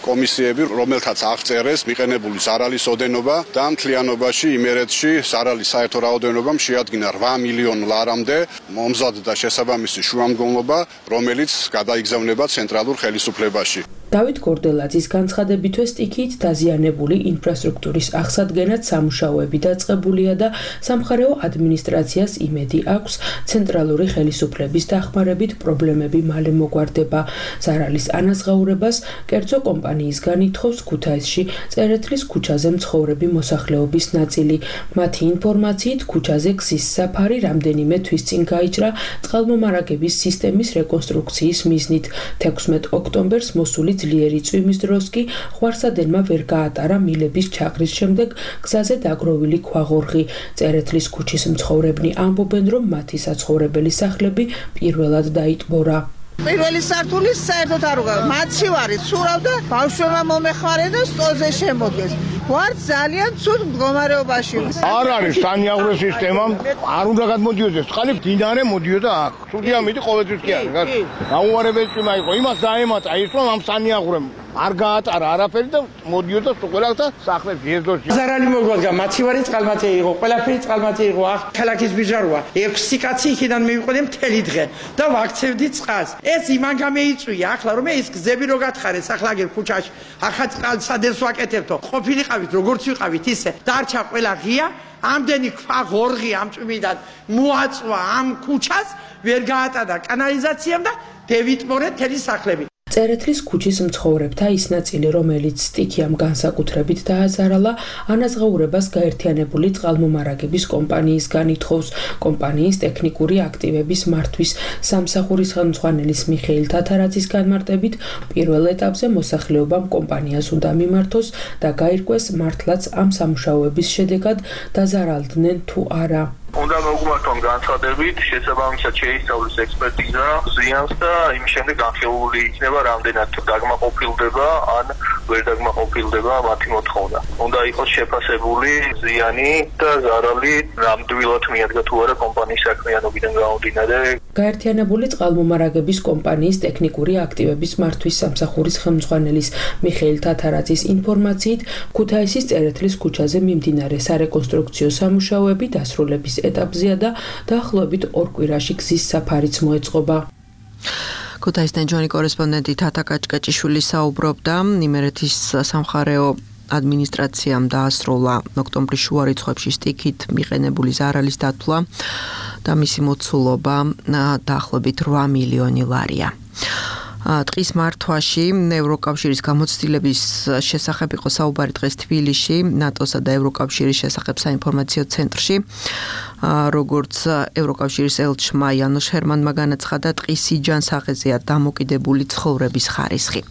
კომისიები, რომელთაც აღწერეს მიყენებული ზარალის ოდენობა და მთლიანობაში იმერეთში ზარალის საერთო რაოდენობა შეადგინა რვა მილიონ ლარამდე. მომზადდა შესაბამისი შუამდგომლობა, რომელიც გადაიგზავნება ცენტრალურ ხელისუფლებაში. დავით გორდელაძის განცხადებითვე სტიქიით დაზიანებული ინფრასტრუქტურის აღსადგენად სამუშაოები დაწყებულია და სამხარეო ადმინისტრაციას იმედი აქვს ცენტრალური ხელისუფლების დახმარებით პრობლემები მალე მოგვარდება. ზარალის ანაზღაურებას კერძო კომპანიისგან ითხოვს ქუთაისში წერეთლის ქუჩაზე მცხოვრები მოსახლეობის ნაწილი. მათი ინფორმაციით ქუჩაზე გზის საფარი რამდენიმე თვის წინ გაიჭრა წყალმომარაგების სისტემის რეკონსტრუქციის მიზნით. თექვსმეტ ოქტომბერს მოსული ძლიერი წვიმის დროს კი ხვარსადენმა ვერ გაატარა მილების ჩაყრის შემდეგ გზაზე დაგროვილი ქვაღორღი. წერეთლის ქუჩის მცხოვრებნი ამბობენ, რომ მათი საცხოვრებელი სახლები პირველად დაიტბორა. პირველი სართულის საერთოდ არ უგავ. მათში ვარით, სურავ და ბავშვებმა მომეხმარე და სტოლზე შემოდგეს. ვარ ძალიან ცუდ მდგომარეობაში. არ არის სანიაღვრე სისტემა, არ უნდა გადმოდიოდეს. წყალი მდინარე მოდიოდა აქ. სულია მიდი ყოველთვის კი არის. გაუარებელი წვიმა იყო. იმას დაემატა ის რომ ამ სანიაღვრემ არ გაატარა არაფერი და მოდიოდა ყველასა სახლებს ეზოში. ზარალი მოგვადგა, მაცივარი წყალმათი იყო, ყველაფერი წყალმათი იყო. ახ ქალაქის ბიჟაროა. ექვსი კაცი იქიდან მივიყვანე მთელი დღე და ვაქცევდი წყალს. ეს იმან გამეიწვია, ახლა რომ ეს გზები რო გათხარეს ახლაგერ ქუჩაში. ახლა წყალსადენს ვაკეთებთო. ყოფილიყავით როგორც ვიყავით ისე. დარჩა ყველა ღია. ამდენი ქვაღორღი ამ წვიმიდან მოაწვა ამ ქუჩას, ვერ გაატარა კანალიზაციამ და დევიტმორე თელი სახლები. წერეთლის ქუჩის მცხოვრებთა ის ნაწილი, რომელიც სტიქიამ განსაკუთრებით დააზარალა, ანაზღაურებას გაერთიანებული წყალმომარაგების კომპანიისგან ითხოვს. კომპანიის ტექნიკური აქტივების მართვის სამსახურის ხელმძღვანელის მიხეილ თათარაძის განმარტებით, პირველ ეტაპზე მოსახლეობამ კომპანიას უნდა მიმართოს და გაირკვეს მართლაც ამ სამუშაოების შედეგად დაზარალდნენ თუ არა. უნდა მოგვმართონ განცხადებით, შესაბამისად შეისწავლის ექსპერტიზა ზიანს და იმის შემდეგ განხილული იქნება რამდენად დაგმაყოფილდება ან ვერ დაგმაყოფილდება მათი მოთხოვნა. უნდა იყოს შეფასებული ზიანი და ზარალი ნამდვილად მიადგა თუ არა კომპანიის საქმიანობიდან გამომდინარე. გაერთიანებული წყალმომარაგების კომპანიის ტექნიკური აქტივების მართვის სამსახურის ხელმძღვანელის მიხეილ თათარაძის ინფორმაციით, ქუთაისის წერეთლის ქუჩაზე მიმდინარე სარეკონსტრუქციო სამუშაოები დასრულების ეტაპზეა და დაახლოებით ორ კვირაში გზის საფარიც მოეწყობა. ქუთაისიდან ჩვენი კორესპონდენტი თათა კაჭკაჭიშვილი საუბრობდა. იმერეთის სამხარეო ადმინისტრაციამ დაასრულა ოქტომბრის შუა რიცხვებში სტიქით მიყენებული ზარალის დათვლა და მისი მოცულობა დაახლოებით რვა მილიონი ლარია. დღის მართვაში ევროკავშირის გამოცდილების შესახებ იყო საუბარი დღეს თბილისში, ნატოსა და ევროკავშირის შესახებ საინფორმაციო ცენტრში. როგორც ევროკავშირის ელჩმა იანოშ ჰერმანმა განაცხადა, ტყის სიჯანსაღეზეა დამოკიდებული ცხოვრების ხარისხი.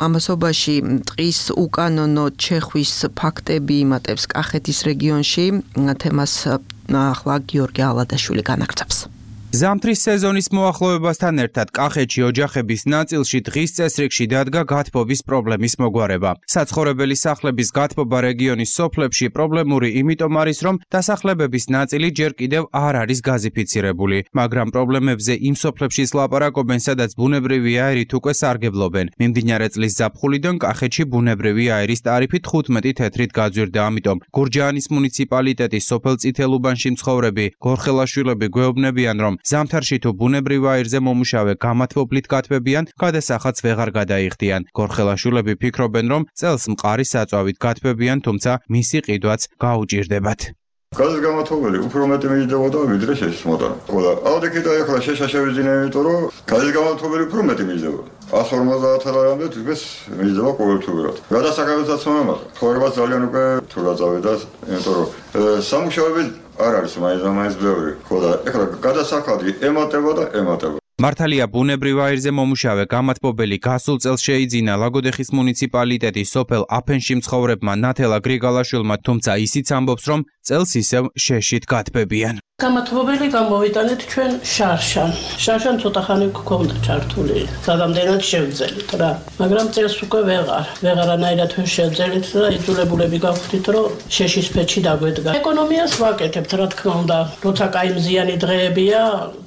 ამასობაში ტყის უკანონო ჩეხვის ფაქტები იმატებს კახეთის რეგიონში. თემას ახლა გიორგი ალადაშვილი განაგრძობს. ზამთრის სეზონის მოახლოებასთან ერთად კახეთში ოჯახების ნაწილში დღის წესრიგში დადგა გათბობის პრობლემის მოგვარება. საცხოვრებელი სახლების გათბობა რეგიონის სოფლებში პრობლემური იმიტომ არის, რომ დასახლებების ნაწილი ჯერ კიდევ არ არის გაზიფიცირებული, მაგრამ პრობლემებზე იმ სოფლებშიც ლაპარაკობენ, სადაც ბუნებრივი აირით უკვე სარგებლობენ. მიმდინარე წლის ზაფხულიდან კახეთში ბუნებრივი აირის ტარიფი თხუთმეტი თეთრით გაძვირდა, ამიტომ გურჯაანის მუნიციპალიტეტის სოფელ წითელუბანში მცხოვრები გორხელაშვილები გვეუბნებიან, რომ ზამთარში თუ ბუნებრივ აირზე მომუშავე გამათბობლით გათბებიან, გადასახადს ვეღარ გადაიხდიან. გორხელაშვილები ფიქრობენ, რომ წელს მყარი საწვავით გათბებიან, თუმცა მისი ყიდვაც გაუჭირდებათ. გადის გამათბობელი უფრო მეტი მიჯდებოდა ვიდრე შეშის მოტანა. ხოლო აუდიკიტა ახლა შეშა შევიძინე, იმიტომ რომ გადის გამათბობელი უფრო მეტი მიჯდებოდა. ას ორმოცდაათ ლარამდე თვითონ მიჯდება ყოველთვიურად. გადასახადებსაც მომავალ. ცხოვრება ძალიან უკვე თუ გაწავედა, იმიტომ რომ სამუშაოები არ არის მაინც ბევრი. ხოლო ახლა გადასახადი ემატება და ემატება. მართალია ბუნებრივ აირზე მომუშავე გამათბობელი გასულ წელს შეიძინა ლაგოდეხის მუნიციპალიტეტის სოფელ აფენში მცხოვრებმა ნათელა გრიგალაშვილმა, თუმცა ისიც ამბობს, რომ წელს ისევ შეშით გათბებიან. გამათბობელი გამოვიტანეთ ჩვენ შარშან. შარშან ცოტა ხანი გქონდა ჩართული. სადამდენად შევძელით რა. მაგრამ წელს უკვე ვეღარ. ვეღარანაირად ვერ შევძელით და იძულებულები გავხდით, რომ შეშის ფეჩი დაგვედგა. ეკონომიას ვაკეთებთ, რა თქმა უნდა. როცა კაი მზიანი დღეებია,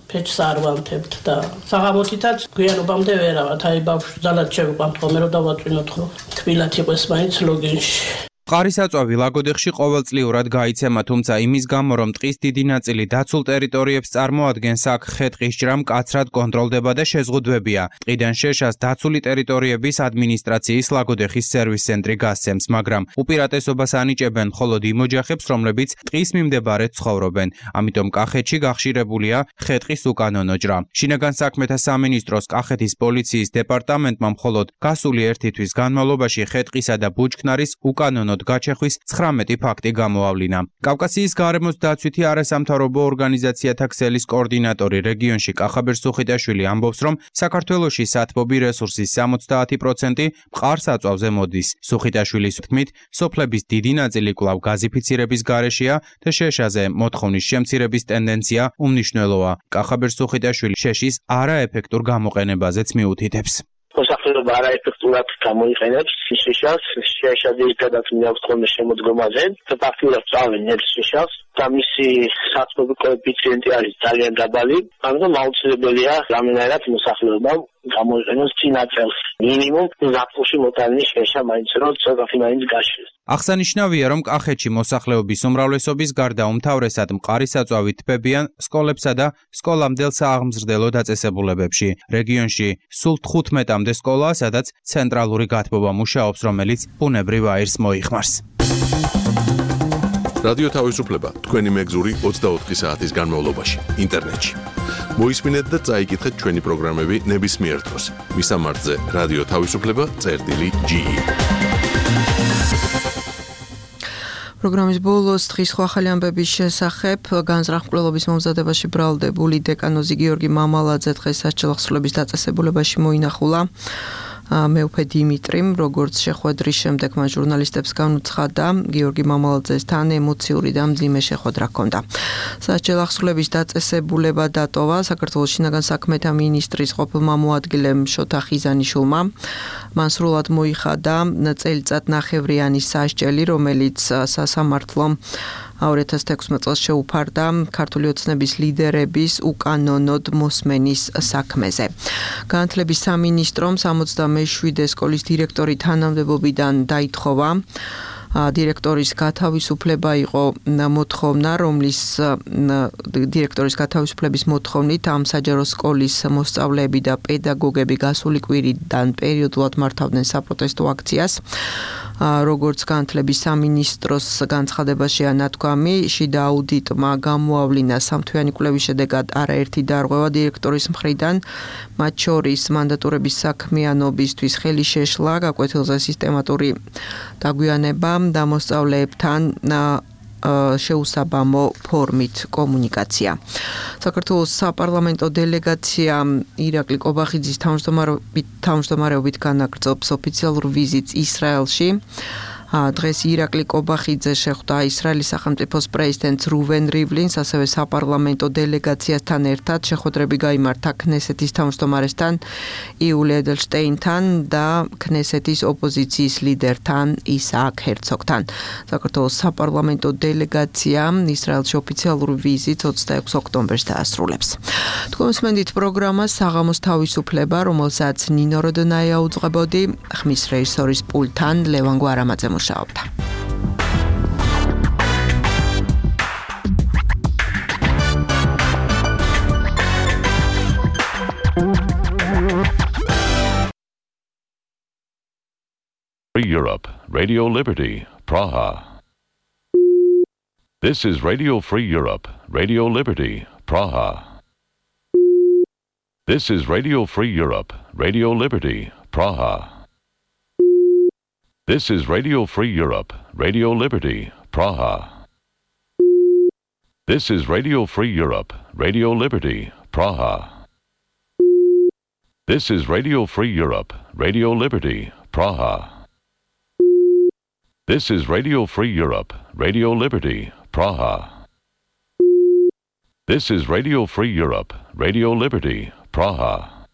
ფეჩს არ ვანთებთ და საღამოთითაც გვიანობამდე ვერავათ. აი ბავშვს ძალად შევიყვამთ ხოლმე, რომ დავაწვინოთ ხო. თბილად იყოს მაინც ლოგინში. მყარისაწვავი ლაგოდეხში ყოველწლიურად გაიცემა, თუმცა იმის გამო, რომ ტყის დიდი ნაწილი დაცულ ტერიტორიებს წარმოადგენს, აქ ხე-ტყის ჭრა მკაცრად კონტროლდება და შეზღუდვებია. ტყიდან შეშას დაცული ტერიტორიების ადმინისტრაციის ლაგოდეხის სერვის ცენტრი გასცემს, მაგრამ უპირატესობას ანიჭებენ მხოლოდ იმ ოჯახებს, რომლებიც ტყის მიმდებარედ ცხოვრობენ. ამიტომ კახეთში გახშირებულია ხე-ტყის უკანონო ჭრა. შინაგან საქმეთა სამინისტროს კახეთის პოლიციის დეპარტამენტმა მხოლოდ გასული ერთი თვის განმავლობაში ხე-ტყისა და ბუჩქნარის უკანონო გაჩეხვის ცხრამეტი ფაქტი გამოავლინა. კავკასიის გარემოს დაცვითი არასამთავრობო ორგანიზაციათა ქსელის კოორდინატორი რეგიონში კახაბერ სუხიტაშვილი ამბობს, რომ საქართველოში სათბობი რესურსის სამოცდაათი პროცენტი მყარ-საწვავზე მოდის. სუხიტაშვილის თქმით, სოფლების დიდი ნაწილი კვლავ გაზიფიცირების გარეშეა და შეშაზე მოთხოვნის შემცირების ტენდენცია უმნიშვნელოა. კახაბერ სუხიტაშვილი შეშის არაეფექტურ გამოყენებაზეც მიუთითებს. მოსახლეობა არაეფექტურად გამოიყენებს შეშას, შეშა ძირითადად მიაქვს ხოლმე შემოდგომაზე და ფაქტურად წავენ ნებს შეშას და მისი სათბობი კოეფიციენტი არის ძალიან დაბალი, ამიტომ აუცილებელია რამენერად მოსახლეობამ გამოიყენოს წინა წელს მინიმუმ ზაფხულში მოტანილი შეშა მაინც რომ ცოტათი მაინც გაშლის. აღსანიშნავია, რომ კახეთში მოსახლეობის უმრავლესობის გარდა უმთავრესად მყარისაწვავით თბებიან სკოლებსა და სკოლამდელ სააღმზრდელო დაწესებულებებში. რეგიონში სულ თხუთმეტამდე სკოლაა, სადაც ცენტრალური გათბობა მუშაობს, რომელიც ბუნებრივ აირს მოიხმარს. რადიო თავისუფლება თქვენი მეგზური ოცდაოთხი საათის განმავლობაში ინტერნეტში. მოისმინეთ და წაიკითხეთ ჩვენი პროგრამები ნებისმიერ დროს. მისამართზე რადიო თავისუფლება წერტილი ჯი ი. პროგრამის ბოლოს დღის სხვა ახალი ამბების შესახებ განზრახმკვლელობის მომზადებაში ბრალდებული დეკანოზი გიორგი მამალაძე დღეს საჭილახსრულების დაწესებულებაში მოინახულა. მეუფე დიმიტრიმ, როგორც შეხვედრის შემდეგ მან ჟურნალისტებს განუცხადა, გიორგი მამალაძესთან ემოციური და მძიმე შეხვედრა ჰქონდა. საჭილახსრულების დაწესებულება დატოვა საქართველოს შინაგან საქმეთა მინისტრის ყოფილმა მოადგილემ შოთა ხიზანიშვილმა. მან სრულად მოიხადა წელიწად ნახევრიანი სასჯელი, რომელიც სასამართლომ ორი ათას თექვსმეტ წელს შეუფარდა ქართული ოცნების ლიდერების უკანონოდ მოსმენის საქმეზე. განათლების სამინისტრომ სამოცდამეშვიდე სკოლის დირექტორი თანამდებობიდან დაითხოვა. დირექტორის გათავისუფლება იყო მოთხოვნა, რომლის დირექტორის გათავისუფლების მოთხოვნით ამ საჯარო სკოლის მოსწავლეები და პედაგოგები გასული კვირიდან პერიოდულად მართავდნენ საპროტესტო აქციას. როგორც განათლების სამინისტროს განცხადებაში ანათქვამი, შიდა აუდიტმა გამოავლინა სამთვიანი კვლევის შედეგად არაერთი დარღვევა დირექტორის მხრიდან, მათ შორის მანდატურების საქმიანობისთვის ხელი შეშლა, გაკვეთილზე სისტემატური დაგვიანება და მოსწავლეებთან შეუსაბამო ფორმით კომუნიკაცია. საქართველოს საპარლამენტო დელეგაცია ირაკლი კობახიძის თავმჯდომარეობით განაგრძობს ოფიციალურ ვიზიტს ისრაელში. დღეს ირაკლი კობახიძე შეხვდა ისრაელის სახელმწიფოს პრეზიდენტს რუვენ რივლინს, ასევე საპარლამენტო დელეგაციასთან ერთად შეხვედრები გაიმართა ქნესეთის თავმჯდომარესთან იული ედელშტეინთან და ქნესეთის ოპოზიციის ლიდერთან ისააკ ჰერცოგთან. საქართველოს საპარლამენტო დელეგაცია ისრაელში ოფიციალური ვიზიტს ოცდაექვსი ოქტომბერს დაასრულებს. თქვენ მსმენთ პროგრამას საღამოს თავისუფლება, რომელსაც ნინო როდონაია უძღვებოდი, ხმის რეჟისორის პულტთან ლევან გვარამაძე მუშაობდა. Free Europe, Radio Liberty, Praha. This is Radio Free Europe, Radio Liberty, Praha. This is Radio Free Europe, Radio Liberty, Praha. This is Radio Free Europe, Radio Liberty, Praha. This is Radio Free Europe, Radio Liberty, Praha. This is Radio Free Europe, Radio Liberty, Praha. This is Radio Free Europe, Radio Liberty, Praha. This is Radio Free Europe, Radio Liberty, Praha.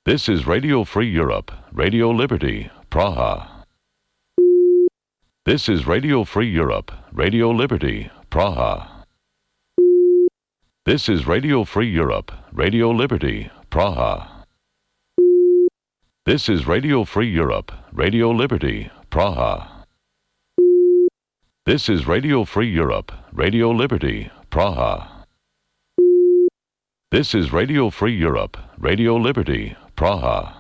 This is Radio Free Europe, Radio Liberty, Praha. This is Radio Free Europe, Radio Liberty, Praha. This is Radio Free Europe, Radio Liberty, Praha. This is Radio Free Europe, Radio Liberty, Praha. This is Radio Free Europe, Radio Liberty, Praha. This is Radio Free Europe, Radio Liberty, Praha.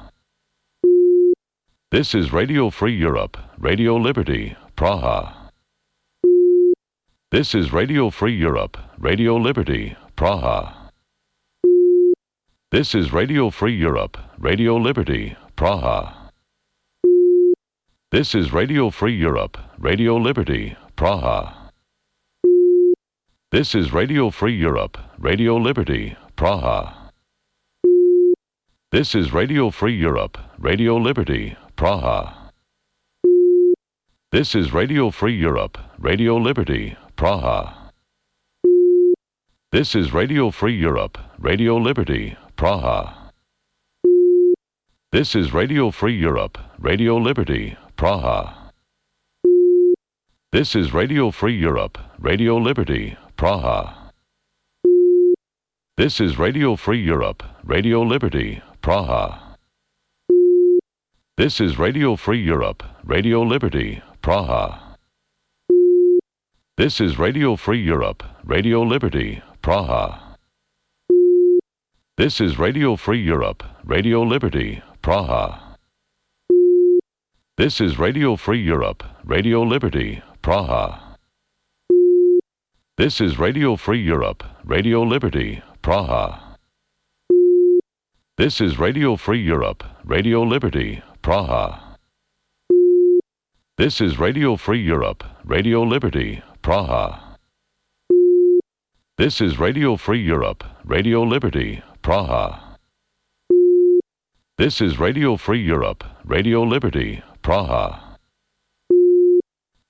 This is Radio Free Europe, Radio Liberty, Praha. This is Radio Free Europe, Radio Liberty, Praha. This is Radio Free Europe, Radio Liberty, Praha. This is Radio Free Europe, Radio Liberty, Praha. This is Radio Free Europe, Radio Liberty, Praha. This is Radio Free Europe, Radio Liberty, Praha. This is Radio Free Europe, Radio Liberty, Praha. This is Radio Free Europe, Radio Liberty, Praha. This is Radio Free Europe, Radio Liberty, Praha. This is Radio Free Europe, Radio Liberty, Praha. This is Radio Free Europe, Radio Liberty, Praha. This is Radio Free Europe, Radio Liberty, Praha. This is Radio Free Europe, Radio Liberty, Praha. This is Radio Free Europe, Radio Liberty, Praha. This is Radio Free Europe, Radio Liberty, Praha. This is Radio Free Europe, Radio Liberty, Praha. This is Radio Free Europe, Radio Liberty, Praha. This is Radio Free Europe, Radio Liberty, Praha. This is Radio Free Europe, Radio Liberty, Praha.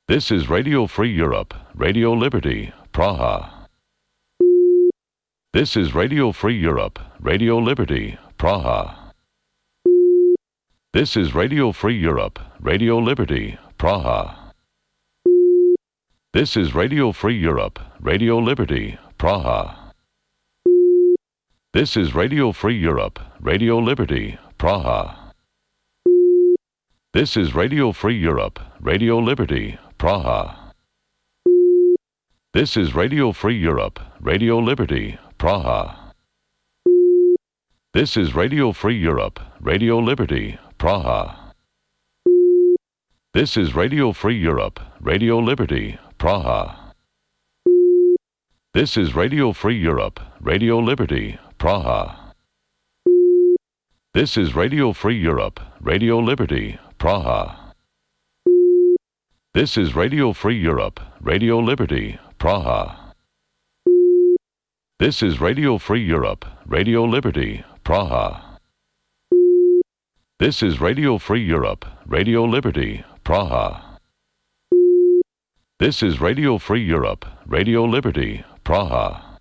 This is Radio Free Europe, Radio Liberty, Praha. This is Radio Free Europe, Radio Liberty, Praha. This is Radio Free Europe, Radio Liberty, Praha. This is Radio Free Europe, Radio Liberty, Praha. This is Radio Free Europe, Radio Liberty, Praha. This is Radio Free Europe, Radio Liberty, Praha. This is Radio Free Europe, Radio Liberty, Praha. This is Radio Free Europe, Radio Liberty, Praha. This is Radio Free Europe, Radio Liberty, Praha. This is Radio Free Europe, Radio Liberty, Praha. This is Radio Free Europe, Radio Liberty, Praha. This is Radio Free Europe, Radio Liberty, Praha. This is Radio Free Europe, Radio Liberty, Praha. This is Radio Free Europe, Radio Liberty, Praha. This is Radio Free Europe, Radio Liberty, Praha. This is Radio Free Europe, Radio Liberty, Praha.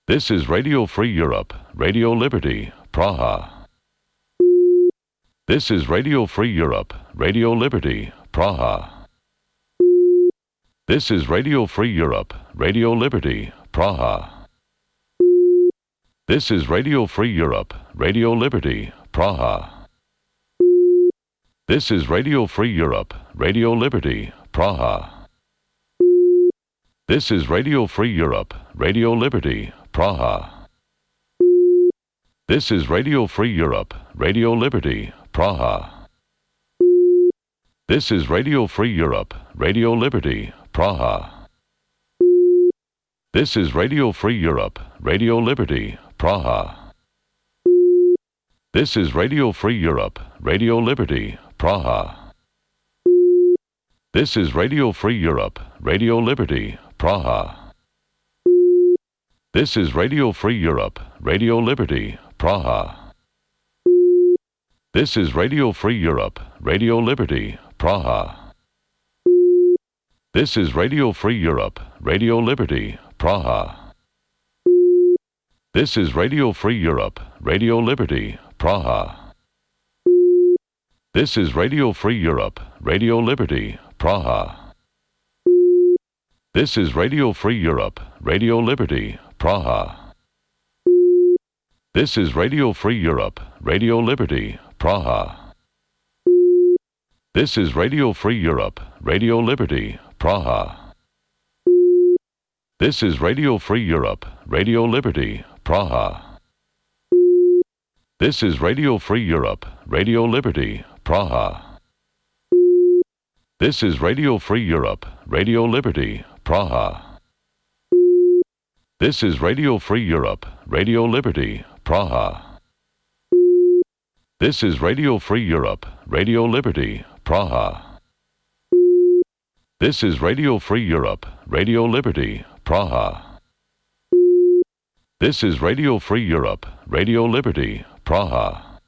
This is Radio Free Europe, Radio Liberty, Praha. This is Radio Free Europe, Radio Liberty, Praha. This is Radio Free Europe, Radio Liberty, Praha. This is Radio Free Europe, Radio Liberty, Praha. This is Radio Free Europe, Radio Liberty, Praha. This is Radio Free Europe, Radio Liberty, Praha. This is Radio Free Europe, Radio Liberty, Praha. This is Radio Free Europe, Radio Liberty, Praha. This is Radio Free Europe, Radio Liberty, Praha. This is Radio Free Europe, Radio Liberty, Praha. This is Radio Free Europe, Radio Liberty, Praha. This is Radio Free Europe, Radio Liberty, Praha. This is Radio Free Europe, Radio Liberty, Praha. This is Radio Free Europe, Radio Liberty, Praha. This is Radio Free Europe, Radio Liberty, Praha. This is Radio Free Europe, Radio Liberty, Praha. This is Radio Free Europe, Radio Liberty, Praha. This is Radio Free Europe, Radio Liberty, Praha. This is Radio Free Europe, Radio Liberty, Praha. This is Radio Free Europe, Radio Liberty, Praha. This is Radio Free Europe, Radio Liberty, Praha. This is Radio Free Europe, Radio Liberty, Praha. This is Radio Free Europe, Radio Liberty, Praha. This is Radio Free Europe, Radio Liberty, Praha. This is Radio Free Europe, Radio Liberty, Praha. This is Radio Free Europe, Radio Liberty, Praha.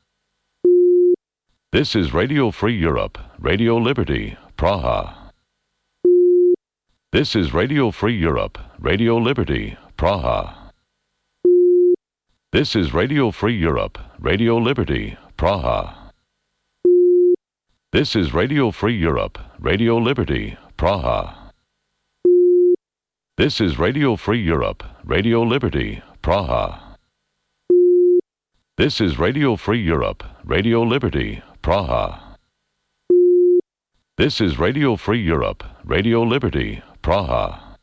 This is Radio Free Europe, Radio Liberty, Praha. This is Radio Free Europe, Radio Liberty, Praha. This is Radio Free Europe, Radio Liberty, Praha. This is Radio Free Europe, Radio Liberty, Praha. This is Radio Free Europe, Radio Liberty, Praha. This is Radio Free Europe, Radio Liberty, Praha. This is Radio Free Europe, Radio Liberty, Praha.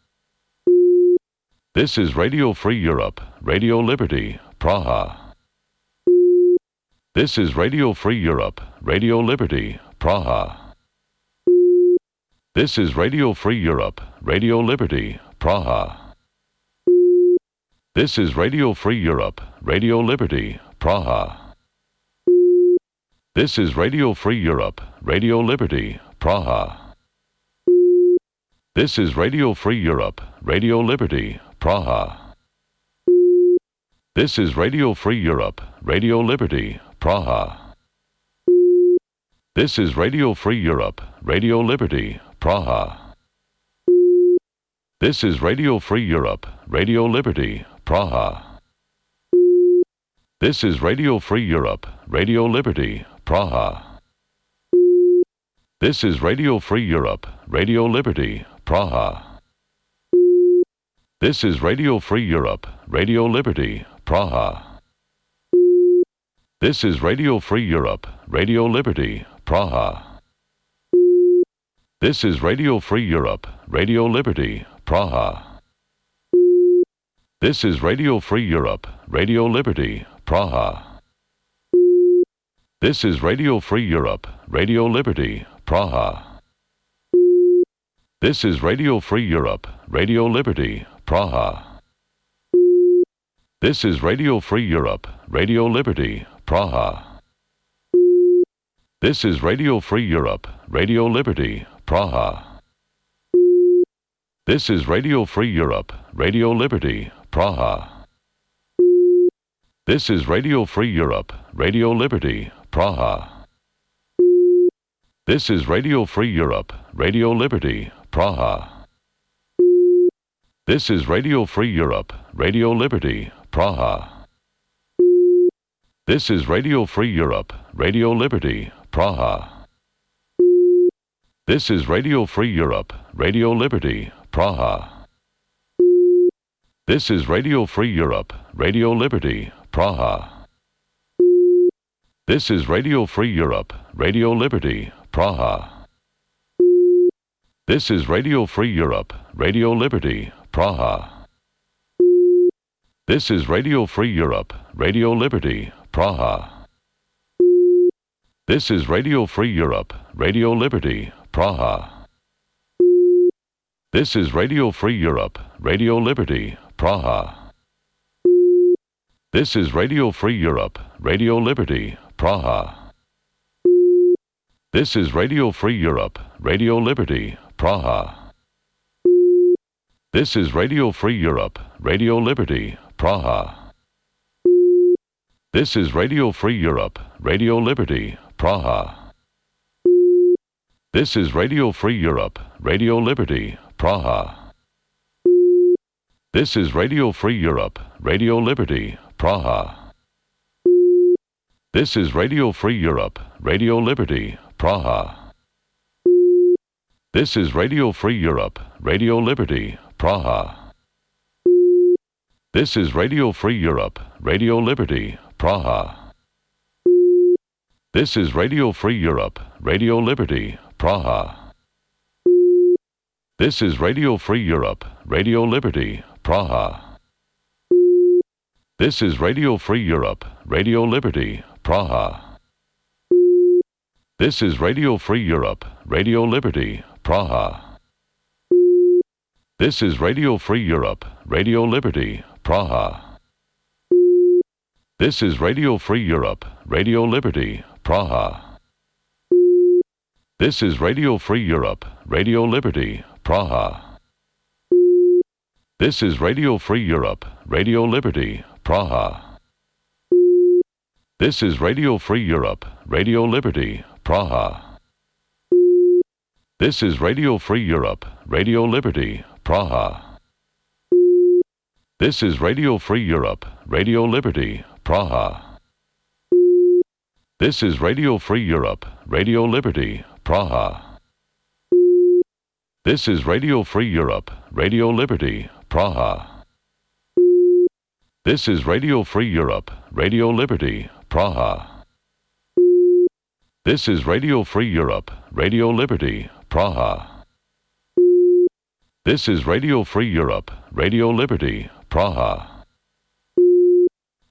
This is Radio Free Europe, Radio Liberty, Praha. This is Radio Free Europe, Radio Liberty, Praha. This is Radio Free Europe, Radio Liberty, Praha. This is Radio Free Europe, Radio Liberty, Praha. This is Radio Free Europe, Radio Liberty, Praha. This is Radio Free Europe, Radio Liberty, Praha. This is Radio Free Europe, Radio Liberty, Praha. This is Radio Free Europe, Radio Liberty, Praha. This is Radio Free Europe, Radio Liberty, Praha. This is Radio Free Europe, Radio Liberty, Praha. This is Radio Free Europe, Radio Liberty, Praha. This is Radio Free Europe, Radio Liberty, Praha. This is Radio Free Europe, Radio Liberty, Praha. This is Radio Free Europe, Radio Liberty, Praha. This is Radio Free Europe, Radio Liberty, Praha. This is Radio Free Europe, Radio Liberty, Praha. This is Radio Free Europe, Radio Liberty, Praha. This is Radio Free Europe, Radio Liberty, Praha. This is Radio Free Europe, Radio Liberty, Praha. This is Radio Free Europe, Radio Liberty, Praha. This is Radio Free Europe, Radio Liberty, Praha. This is Radio Free Europe, Radio Liberty, Praha. This is Radio Free Europe, Radio Liberty, Praha. This is Radio Free Europe, Radio Liberty, Praha. This is Radio Free Europe, Radio Liberty, Praha. This is Radio Free Europe, Radio Liberty, Praha. This is Radio Free Europe, Radio Liberty, Praha. This is Radio Free Europe, Radio Liberty, Praha. This is Radio Free Europe, Radio Liberty, Praha. This is Radio Free Europe, Radio Liberty, Praha. This is Radio Free Europe, Radio Liberty, Praha. This is Radio Free Europe, Radio Liberty, Praha. This is Radio Free Europe, Radio Liberty, Praha. This is Radio Free Europe, Radio Liberty, Praha. This is Radio Free Europe, Radio Liberty, Praha. This is Radio Free Europe, Radio Liberty, Praha. This is Radio Free Europe, Radio Liberty, Praha. This is Radio Free Europe, Radio Liberty, Praha. This is Radio Free Europe, Radio Liberty, Praha. This is Radio Free Europe, Radio Liberty, Praha. This is Radio Free Europe, Radio Liberty, Praha. This is Radio Free Europe, Radio Liberty, Praha. This is Radio Free Europe, Radio Liberty, Praha. This is Radio Free Europe, Radio Liberty, Praha. This is Radio Free Europe, Radio Liberty, Praha. This is Radio Free Europe, Radio Liberty, Praha. This is Radio Free Europe, Radio Liberty, Praha. This is Radio Free Europe, Radio Liberty, Praha. This is Radio Free Europe, Radio Liberty, Praha. This is Radio Free Europe, Radio Liberty, Praha. This is Radio Free Europe, Radio Liberty, Praha. This is Radio Free Europe, Radio Liberty, Praha. This is Radio Free Europe, Radio Liberty, Praha. This is Radio Free Europe, Radio Liberty, Praha. This is Radio Free Europe, Radio Liberty, Praha. This is Radio Free Europe, Radio Liberty, Praha.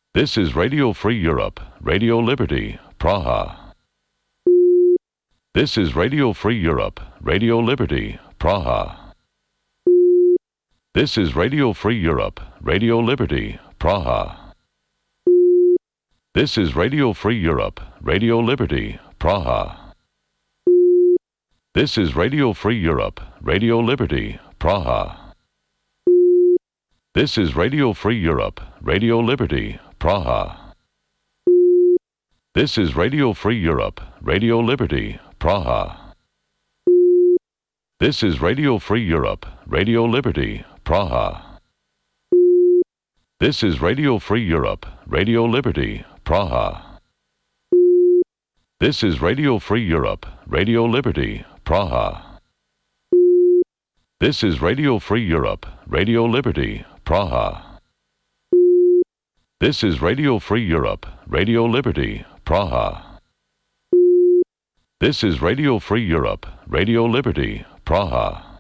This is Radio Free Europe, Radio Liberty, Praha. This is Radio Free Europe, Radio Liberty, Praha. This is Radio Free Europe, Radio Liberty, Praha. This is Radio Free Europe, Radio Liberty, Praha. This is Radio Free Europe, Radio Liberty, Praha. This is Radio Free Europe, Radio Liberty, Praha. This is Radio Free Europe, Radio Liberty, Praha. This is Radio Free Europe, Radio Liberty, Praha. This is Radio Free Europe, Radio Liberty, Praha. This is Radio Free Europe, Radio Liberty, Praha. This is Radio Free Europe, Radio Liberty, Praha. This is Radio Free Europe, Radio Liberty, Praha. This is Radio Free Europe, Radio Liberty, Praha.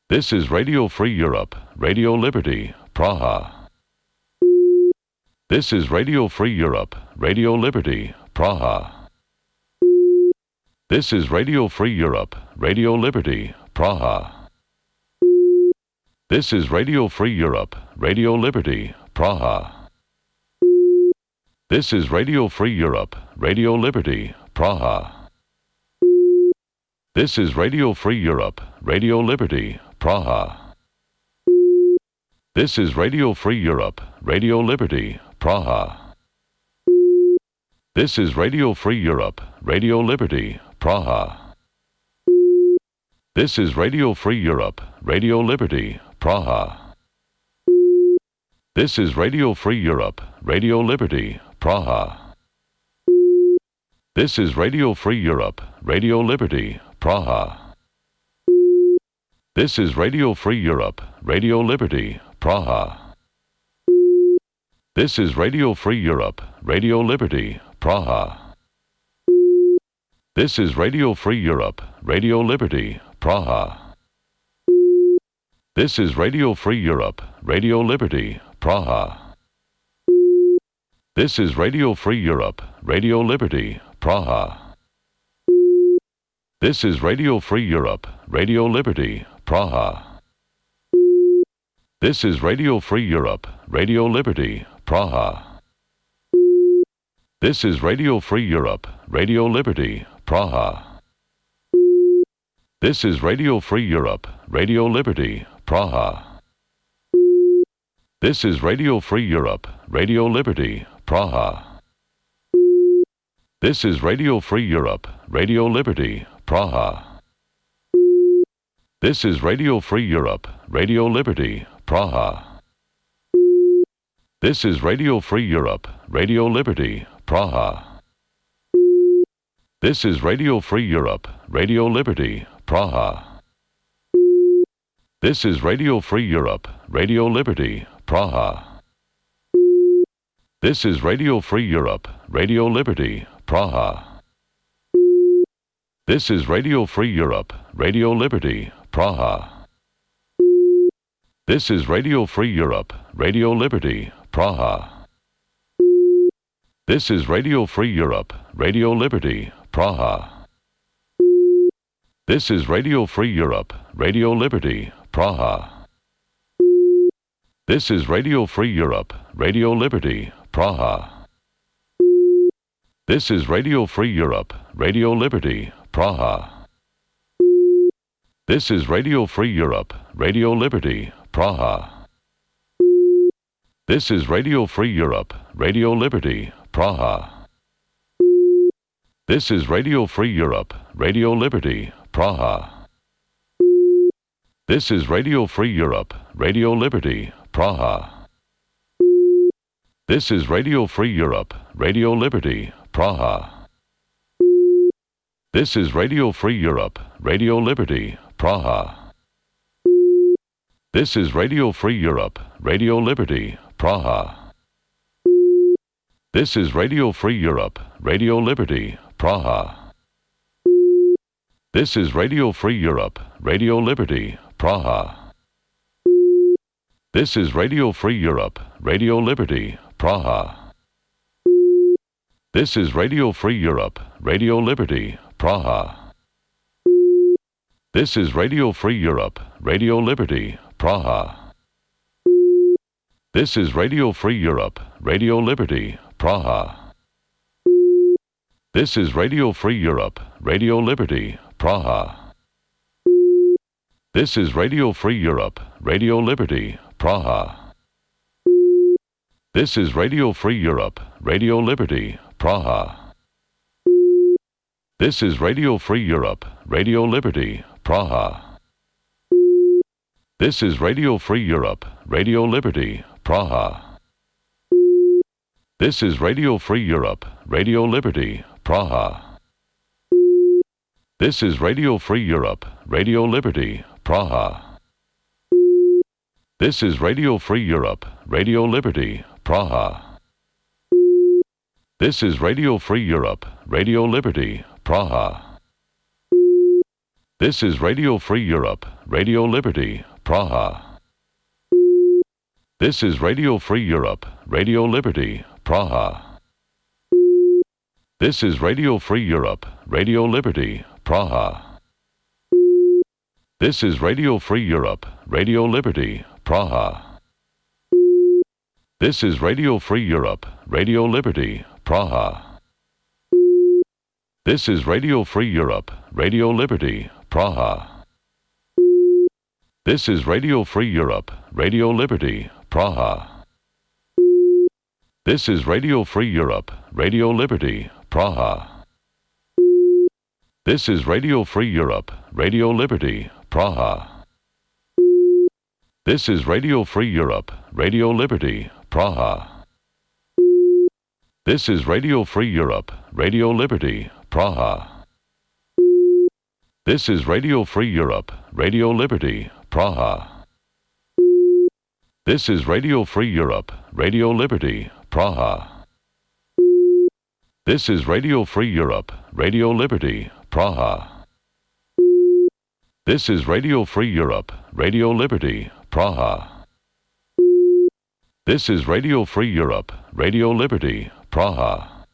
This is Radio Free Europe, Radio Liberty, Praha. This is Radio Free Europe, Radio Liberty, Praha. This is Radio Free Europe, Radio Liberty, Praha. This is Radio Free Europe, Radio Liberty, Praha. This is Radio Free Europe, Radio Liberty, Praha. This is Radio Free Europe, Radio Liberty, Praha. This is Radio Free Europe, Radio Liberty, Praha. This is Radio Free Europe, Radio Liberty, Praha. This is Radio Free Europe, Radio Liberty, Praha. This is Radio Free Europe, Radio Liberty, Praha. This is Radio Free Europe, Radio Liberty, Praha. This is Radio Free Europe, Radio Liberty, Praha. This is Radio Free Europe, Radio Liberty, Praha. This is Radio Free Europe, Radio Liberty, Praha. This is Radio Free Europe, Radio Liberty, Praha. This is Radio Free Europe, Radio Liberty, Praha. This is Radio Free Europe, Radio Liberty, Praha. This is Radio Free Europe, Radio Liberty, Praha. This is Radio Free Europe, Radio Liberty, Praha. This is Radio Free Europe, Radio Liberty, Praha. This is Radio Free Europe, Radio Liberty, Praha. This is Radio Free Europe, Radio Liberty, Praha. This is Radio Free Europe, Radio Liberty, Praha. This is Radio Free Europe, Radio Liberty, Praha. This is Radio Free Europe, Radio Liberty, Praha. This is Radio Free Europe, Radio Liberty, Praha. This is Radio Free Europe, Radio Liberty, Praha. This is Radio Free Europe, Radio Liberty, Praha. This is Radio Free Europe, Radio Liberty, Praha. This is Radio Free Europe, Radio Liberty, Praha. This is Radio Free Europe, Radio Liberty, Praha. This is Radio Free Europe, Radio Liberty, Praha. This is Radio Free Europe, Radio Liberty, Praha. This is Radio Free Europe, Radio Liberty, Praha. This is Radio Free Europe, Radio Liberty, Praha. This is Radio Free Europe, Radio Liberty, Praha. This is Radio Free Europe, Radio Liberty, Praha. This is Radio Free Europe, Radio Liberty, Praha. This is Radio Free Europe, Radio Liberty, Praha. This is Radio Free Europe, Radio Liberty, Praha. This is Radio Free Europe, Radio Liberty, Praha. This is Radio Free Europe, Radio Liberty, Praha. This is Radio Free Europe, Radio Liberty, Praha. This is Radio Free Europe, Radio Liberty, Praha. This is Radio Free Europe, Radio Liberty, Praha. This is Radio Free Europe, Radio Liberty, Praha. This is Radio Free Europe, Radio Liberty, Praha. This is Radio Free Europe, Radio Liberty, Praha. This is Radio Free Europe, Radio Liberty, Praha. This is Radio Free Europe, Radio Liberty, Praha. This is Radio Free Europe, Radio Liberty, Praha. This is Radio Free Europe, Radio Liberty, Praha. This is Radio Free Europe, Radio Liberty, Praha. This is Radio Free Europe, Radio Liberty, Praha. This is Radio Free Europe, Radio Liberty, Praha. This is Radio Free Europe, Radio Liberty, Praha. This is Radio Free Europe, Radio Liberty, Praha. This is Radio Free Europe, Radio Liberty, Praha. This is Radio Free Europe, Radio Liberty, Praha. This is Radio Free Europe, Radio Liberty, Praha. This is Radio Free Europe, Radio Liberty, Praha. This is Radio Free Europe, Radio Liberty, Praha. This is Radio Free Europe, Radio Liberty, Praha. This is Radio Free Europe, Radio Liberty, Praha. This is Radio Free Europe, Radio Liberty, Praha. This is Radio Free Europe, Radio Liberty, Praha. This is Radio Free Europe, Radio Liberty, Praha. This is Radio Free Europe, Radio Liberty, Praha. This is Radio Free Europe, Radio Liberty, Praha. This is Radio Free Europe, Radio Liberty, Praha. This is Radio Free Europe, Radio Liberty, Praha.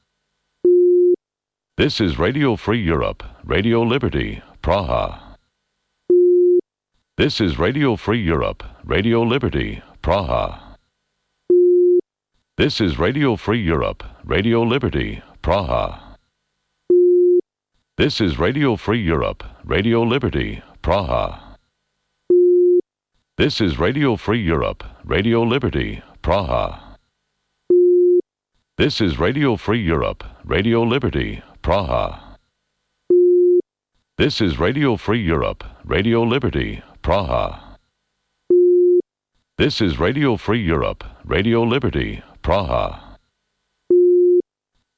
This is Radio Free Europe, Radio Liberty, Praha. This is Radio Free Europe, Radio Liberty, Praha. This is Radio Free Europe, Radio Liberty, Praha. This is Radio Free Europe, Radio Liberty, Praha. This is Radio Free Europe, Radio Liberty, Praha. This is Radio Free Europe, Radio Liberty, Praha. This is Radio Free Europe, Radio Liberty, Praha. This is Radio Free Europe, Radio Liberty, Praha.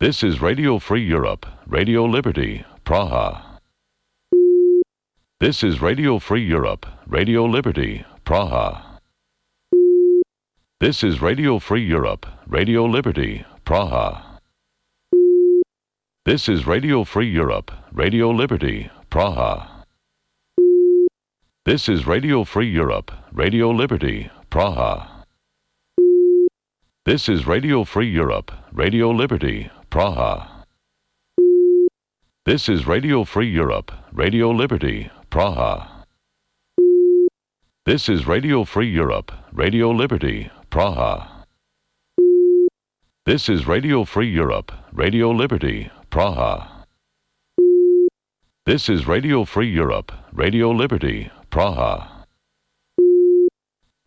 This is Radio Free Europe, Radio Liberty, Praha. This is Radio Free Europe, Radio Liberty, Praha. This is Radio Free Europe, Radio Liberty, Praha. This is Radio Free Europe, Radio Liberty, Praha. This is Radio Free Europe, Radio Liberty, Praha. This is Radio Free Europe, Radio Liberty, Praha. This is Radio Free Europe, Radio Liberty, Praha. This is Radio Free Europe, Radio Liberty, Praha. This is Radio Free Europe, Radio Liberty, Praha. This is Radio Free Europe, Radio Liberty, Praha.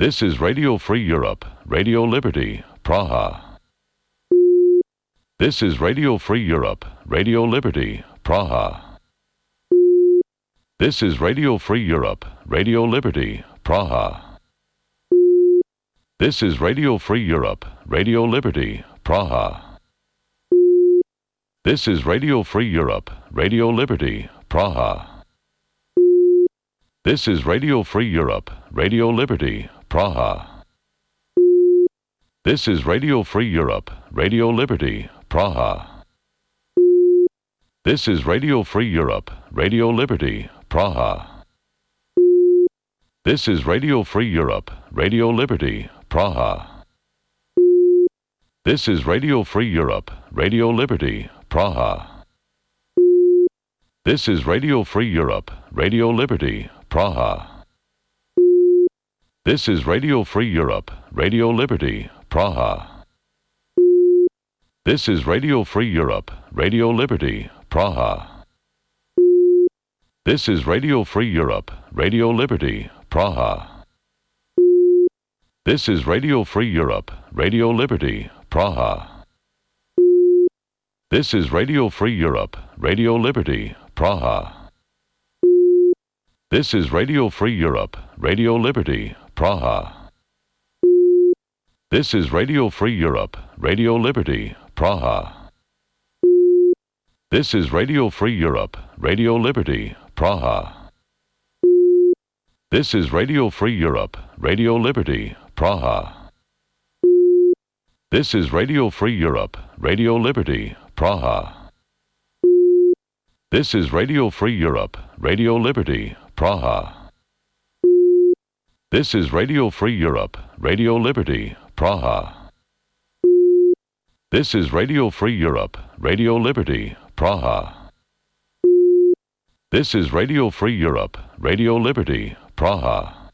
This is Radio Free Europe, Radio Liberty, Praha. This is Radio Free Europe, Radio Liberty, Praha. This is Radio Free Europe, Radio Liberty, Praha. This is Radio Free Europe, Radio Liberty, Praha. This is Radio Free Europe, Radio Liberty, Praha. This is Radio Free Europe, Radio Liberty, Praha. This is Radio Free Europe, Radio Liberty, Praha. This is Radio Free Europe, Radio Liberty, Praha. This is Radio Free Europe, Radio Liberty, Praha. This is Radio Free Europe, Radio Liberty, Praha. This is Radio Free Europe, Radio Liberty, Praha. This is Radio Free Europe, Radio Liberty, Praha. This is Radio Free Europe, Radio Liberty, Praha. This is Radio Free Europe, Radio Liberty, Praha. This is Radio Free Europe, Radio Liberty, Praha. This is Radio Free Europe, Radio Liberty, Praha. This is Radio Free Europe, Radio Liberty, Praha. This is Radio Free Europe, Radio Liberty, Praha. This is Radio Free Europe, Radio Liberty, Praha. This is Radio Free Europe, Radio Liberty, Praha. This is Radio Free Europe, Radio Liberty, Praha. This is Radio Free Europe, Radio Liberty, Praha. This is Radio Free Europe, Radio Liberty, Praha. This is Radio Free Europe, Radio Liberty, Praha. This is Radio Free Europe, Radio Liberty, Praha.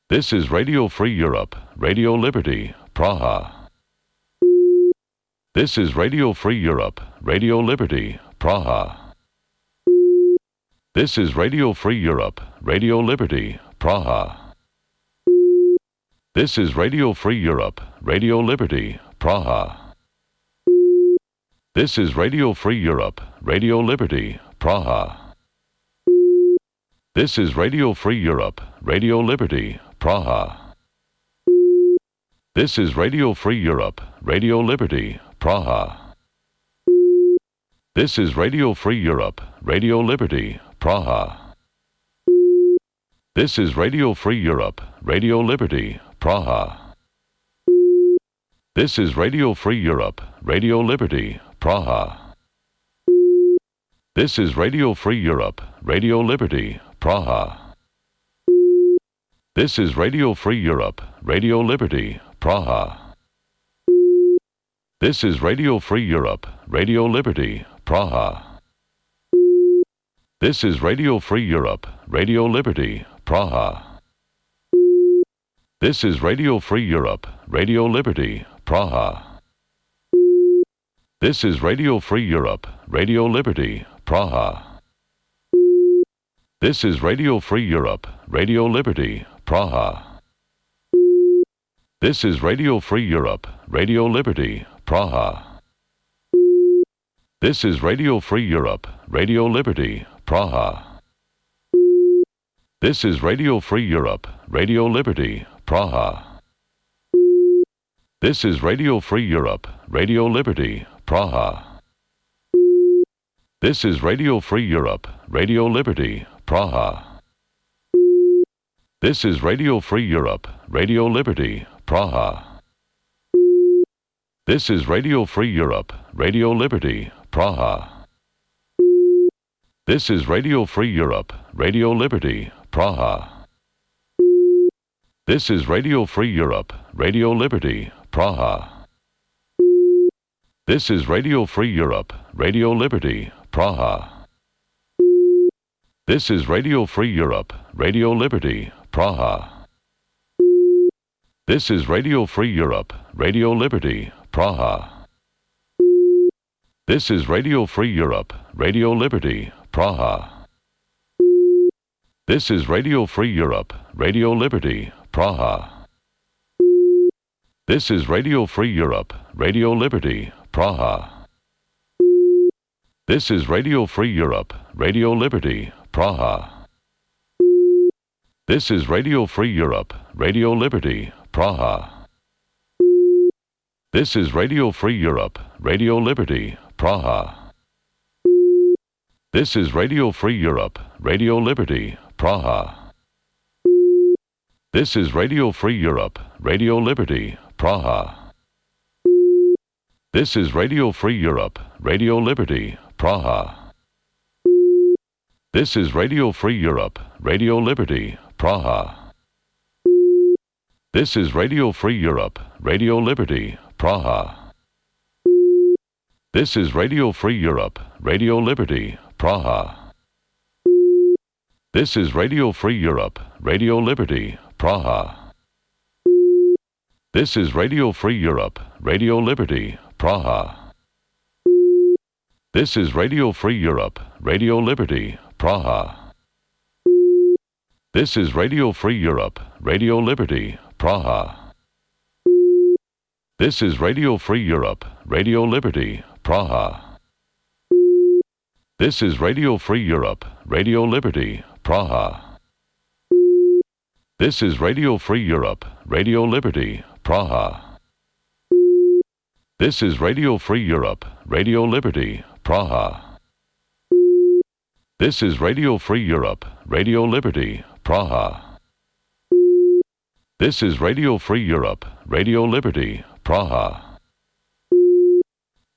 This is Radio Free Europe, Radio Liberty, Praha. This is Radio Free Europe, Radio Liberty, Praha. This is Radio Free Europe, Radio Liberty, Praha. This is Radio Free Europe, Radio Liberty, Praha. This is Radio Free Europe, Radio Liberty, Praha. This is Radio Free Europe, Radio Liberty, Praha. This is Radio Free Europe, Radio Liberty, Praha. This is Radio Free Europe, Radio Liberty, Praha. This is Radio Free Europe, Radio Liberty, Praha. This is Radio Free Europe, Radio Liberty, Praha. This is Radio Free Europe, Radio Liberty, Praha. This is Radio Free Europe, Radio Liberty, Praha. This is Radio Free Europe, Radio Liberty, Praha. This is Radio Free Europe, Radio Liberty, Praha. This is Radio Free Europe, Radio Liberty, Praha. This is Radio Free Europe, Radio Liberty, Praha. This is Radio Free Europe, Radio Liberty, Praha. This is Radio Free Europe, Radio Liberty, Praha. This is Radio Free Europe, Radio Liberty, Praha. This is Radio Free Europe, Radio Liberty, Praha. This is Radio Free Europe, Radio Liberty, Praha. This is Radio Free Europe, Radio Liberty, Praha. This is Radio Free Europe, Radio Liberty, Praha. This is Radio Free Europe, Radio Liberty, Praha. This is Radio Free Europe, Radio Liberty, Praha. This is Radio Free Europe, Radio Liberty, Praha. This is Radio Free Europe, Radio Liberty, Praha. This is Radio Free Europe, Radio Liberty, Praha. This is Radio Free Europe, Radio Liberty, Praha. This is Radio Free Europe, Radio Liberty, Praha. This is Radio Free Europe, Radio Liberty, Praha. This is Radio Free Europe, Radio Liberty, Praha. This is Radio Free Europe, Radio Liberty, Praha. This is Radio Free Europe, Radio Liberty, Praha. This is Radio Free Europe, Radio Liberty, Praha. This is Radio Free Europe, Radio Liberty, Praha. This is Radio Free Europe, Radio Liberty, Praha. This is Radio Free Europe, Radio Liberty, Praha. This is Radio Free Europe, Radio Liberty, Praha. This is Radio Free Europe, Radio Liberty, Praha. This is Radio Free Europe, Radio Liberty, Praha. This is Radio Free Europe, Radio Liberty, Praha. This is Radio Free Europe, Radio Liberty, Praha. This is Radio Free Europe, Radio Liberty, Praha. This is Radio Free Europe, Radio Liberty, Praha. This is Radio Free Europe, Radio Liberty, Praha. This is Radio Free Europe, Radio Liberty, Praha. This is Radio Free Europe, Radio Liberty, Praha. This is Radio Free Europe, Radio Liberty, Praha. This is Radio Free Europe, Radio Liberty, Praha. This is Radio Free Europe, Radio Liberty, Praha.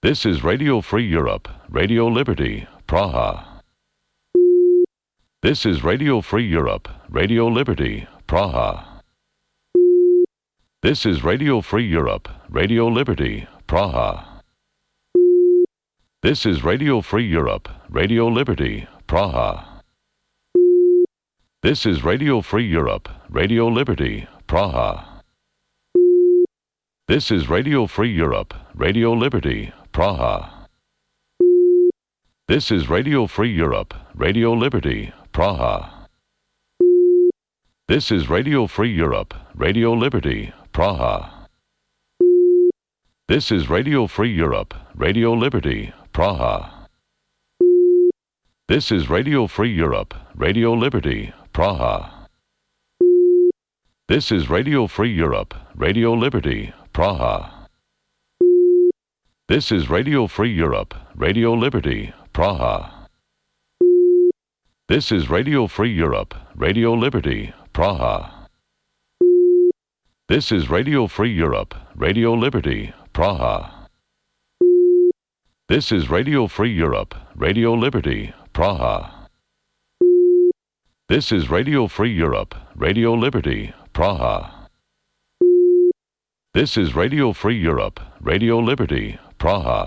This is Radio Free Europe, Radio Liberty, Praha. This is Radio Free Europe, Radio Liberty, Praha. This is Radio Free Europe, Radio Liberty, Praha. This is Radio Free Europe, Radio Liberty, Praha. This is Radio Free Europe, Radio Liberty, Praha. This is Radio Free Europe, Radio Liberty, Praha. This is Radio Free Europe, Radio Liberty, Praha. This is Radio Free Europe, Radio Liberty, Praha. This is Radio Free Europe, Radio Liberty, Praha. This is Radio Free Europe, Radio Liberty, Praha. This is Radio Free Europe, Radio Liberty, Praha. This is Radio Free Europe, Radio Liberty, Praha. This is Radio Free Europe, Radio Liberty, Praha. This is Radio Free Europe, Radio Liberty, Praha. This is Radio Free Europe, Radio Liberty, Praha. This is Radio Free Europe, Radio Liberty, Praha. This is Radio Free Europe, Radio Liberty, Praha.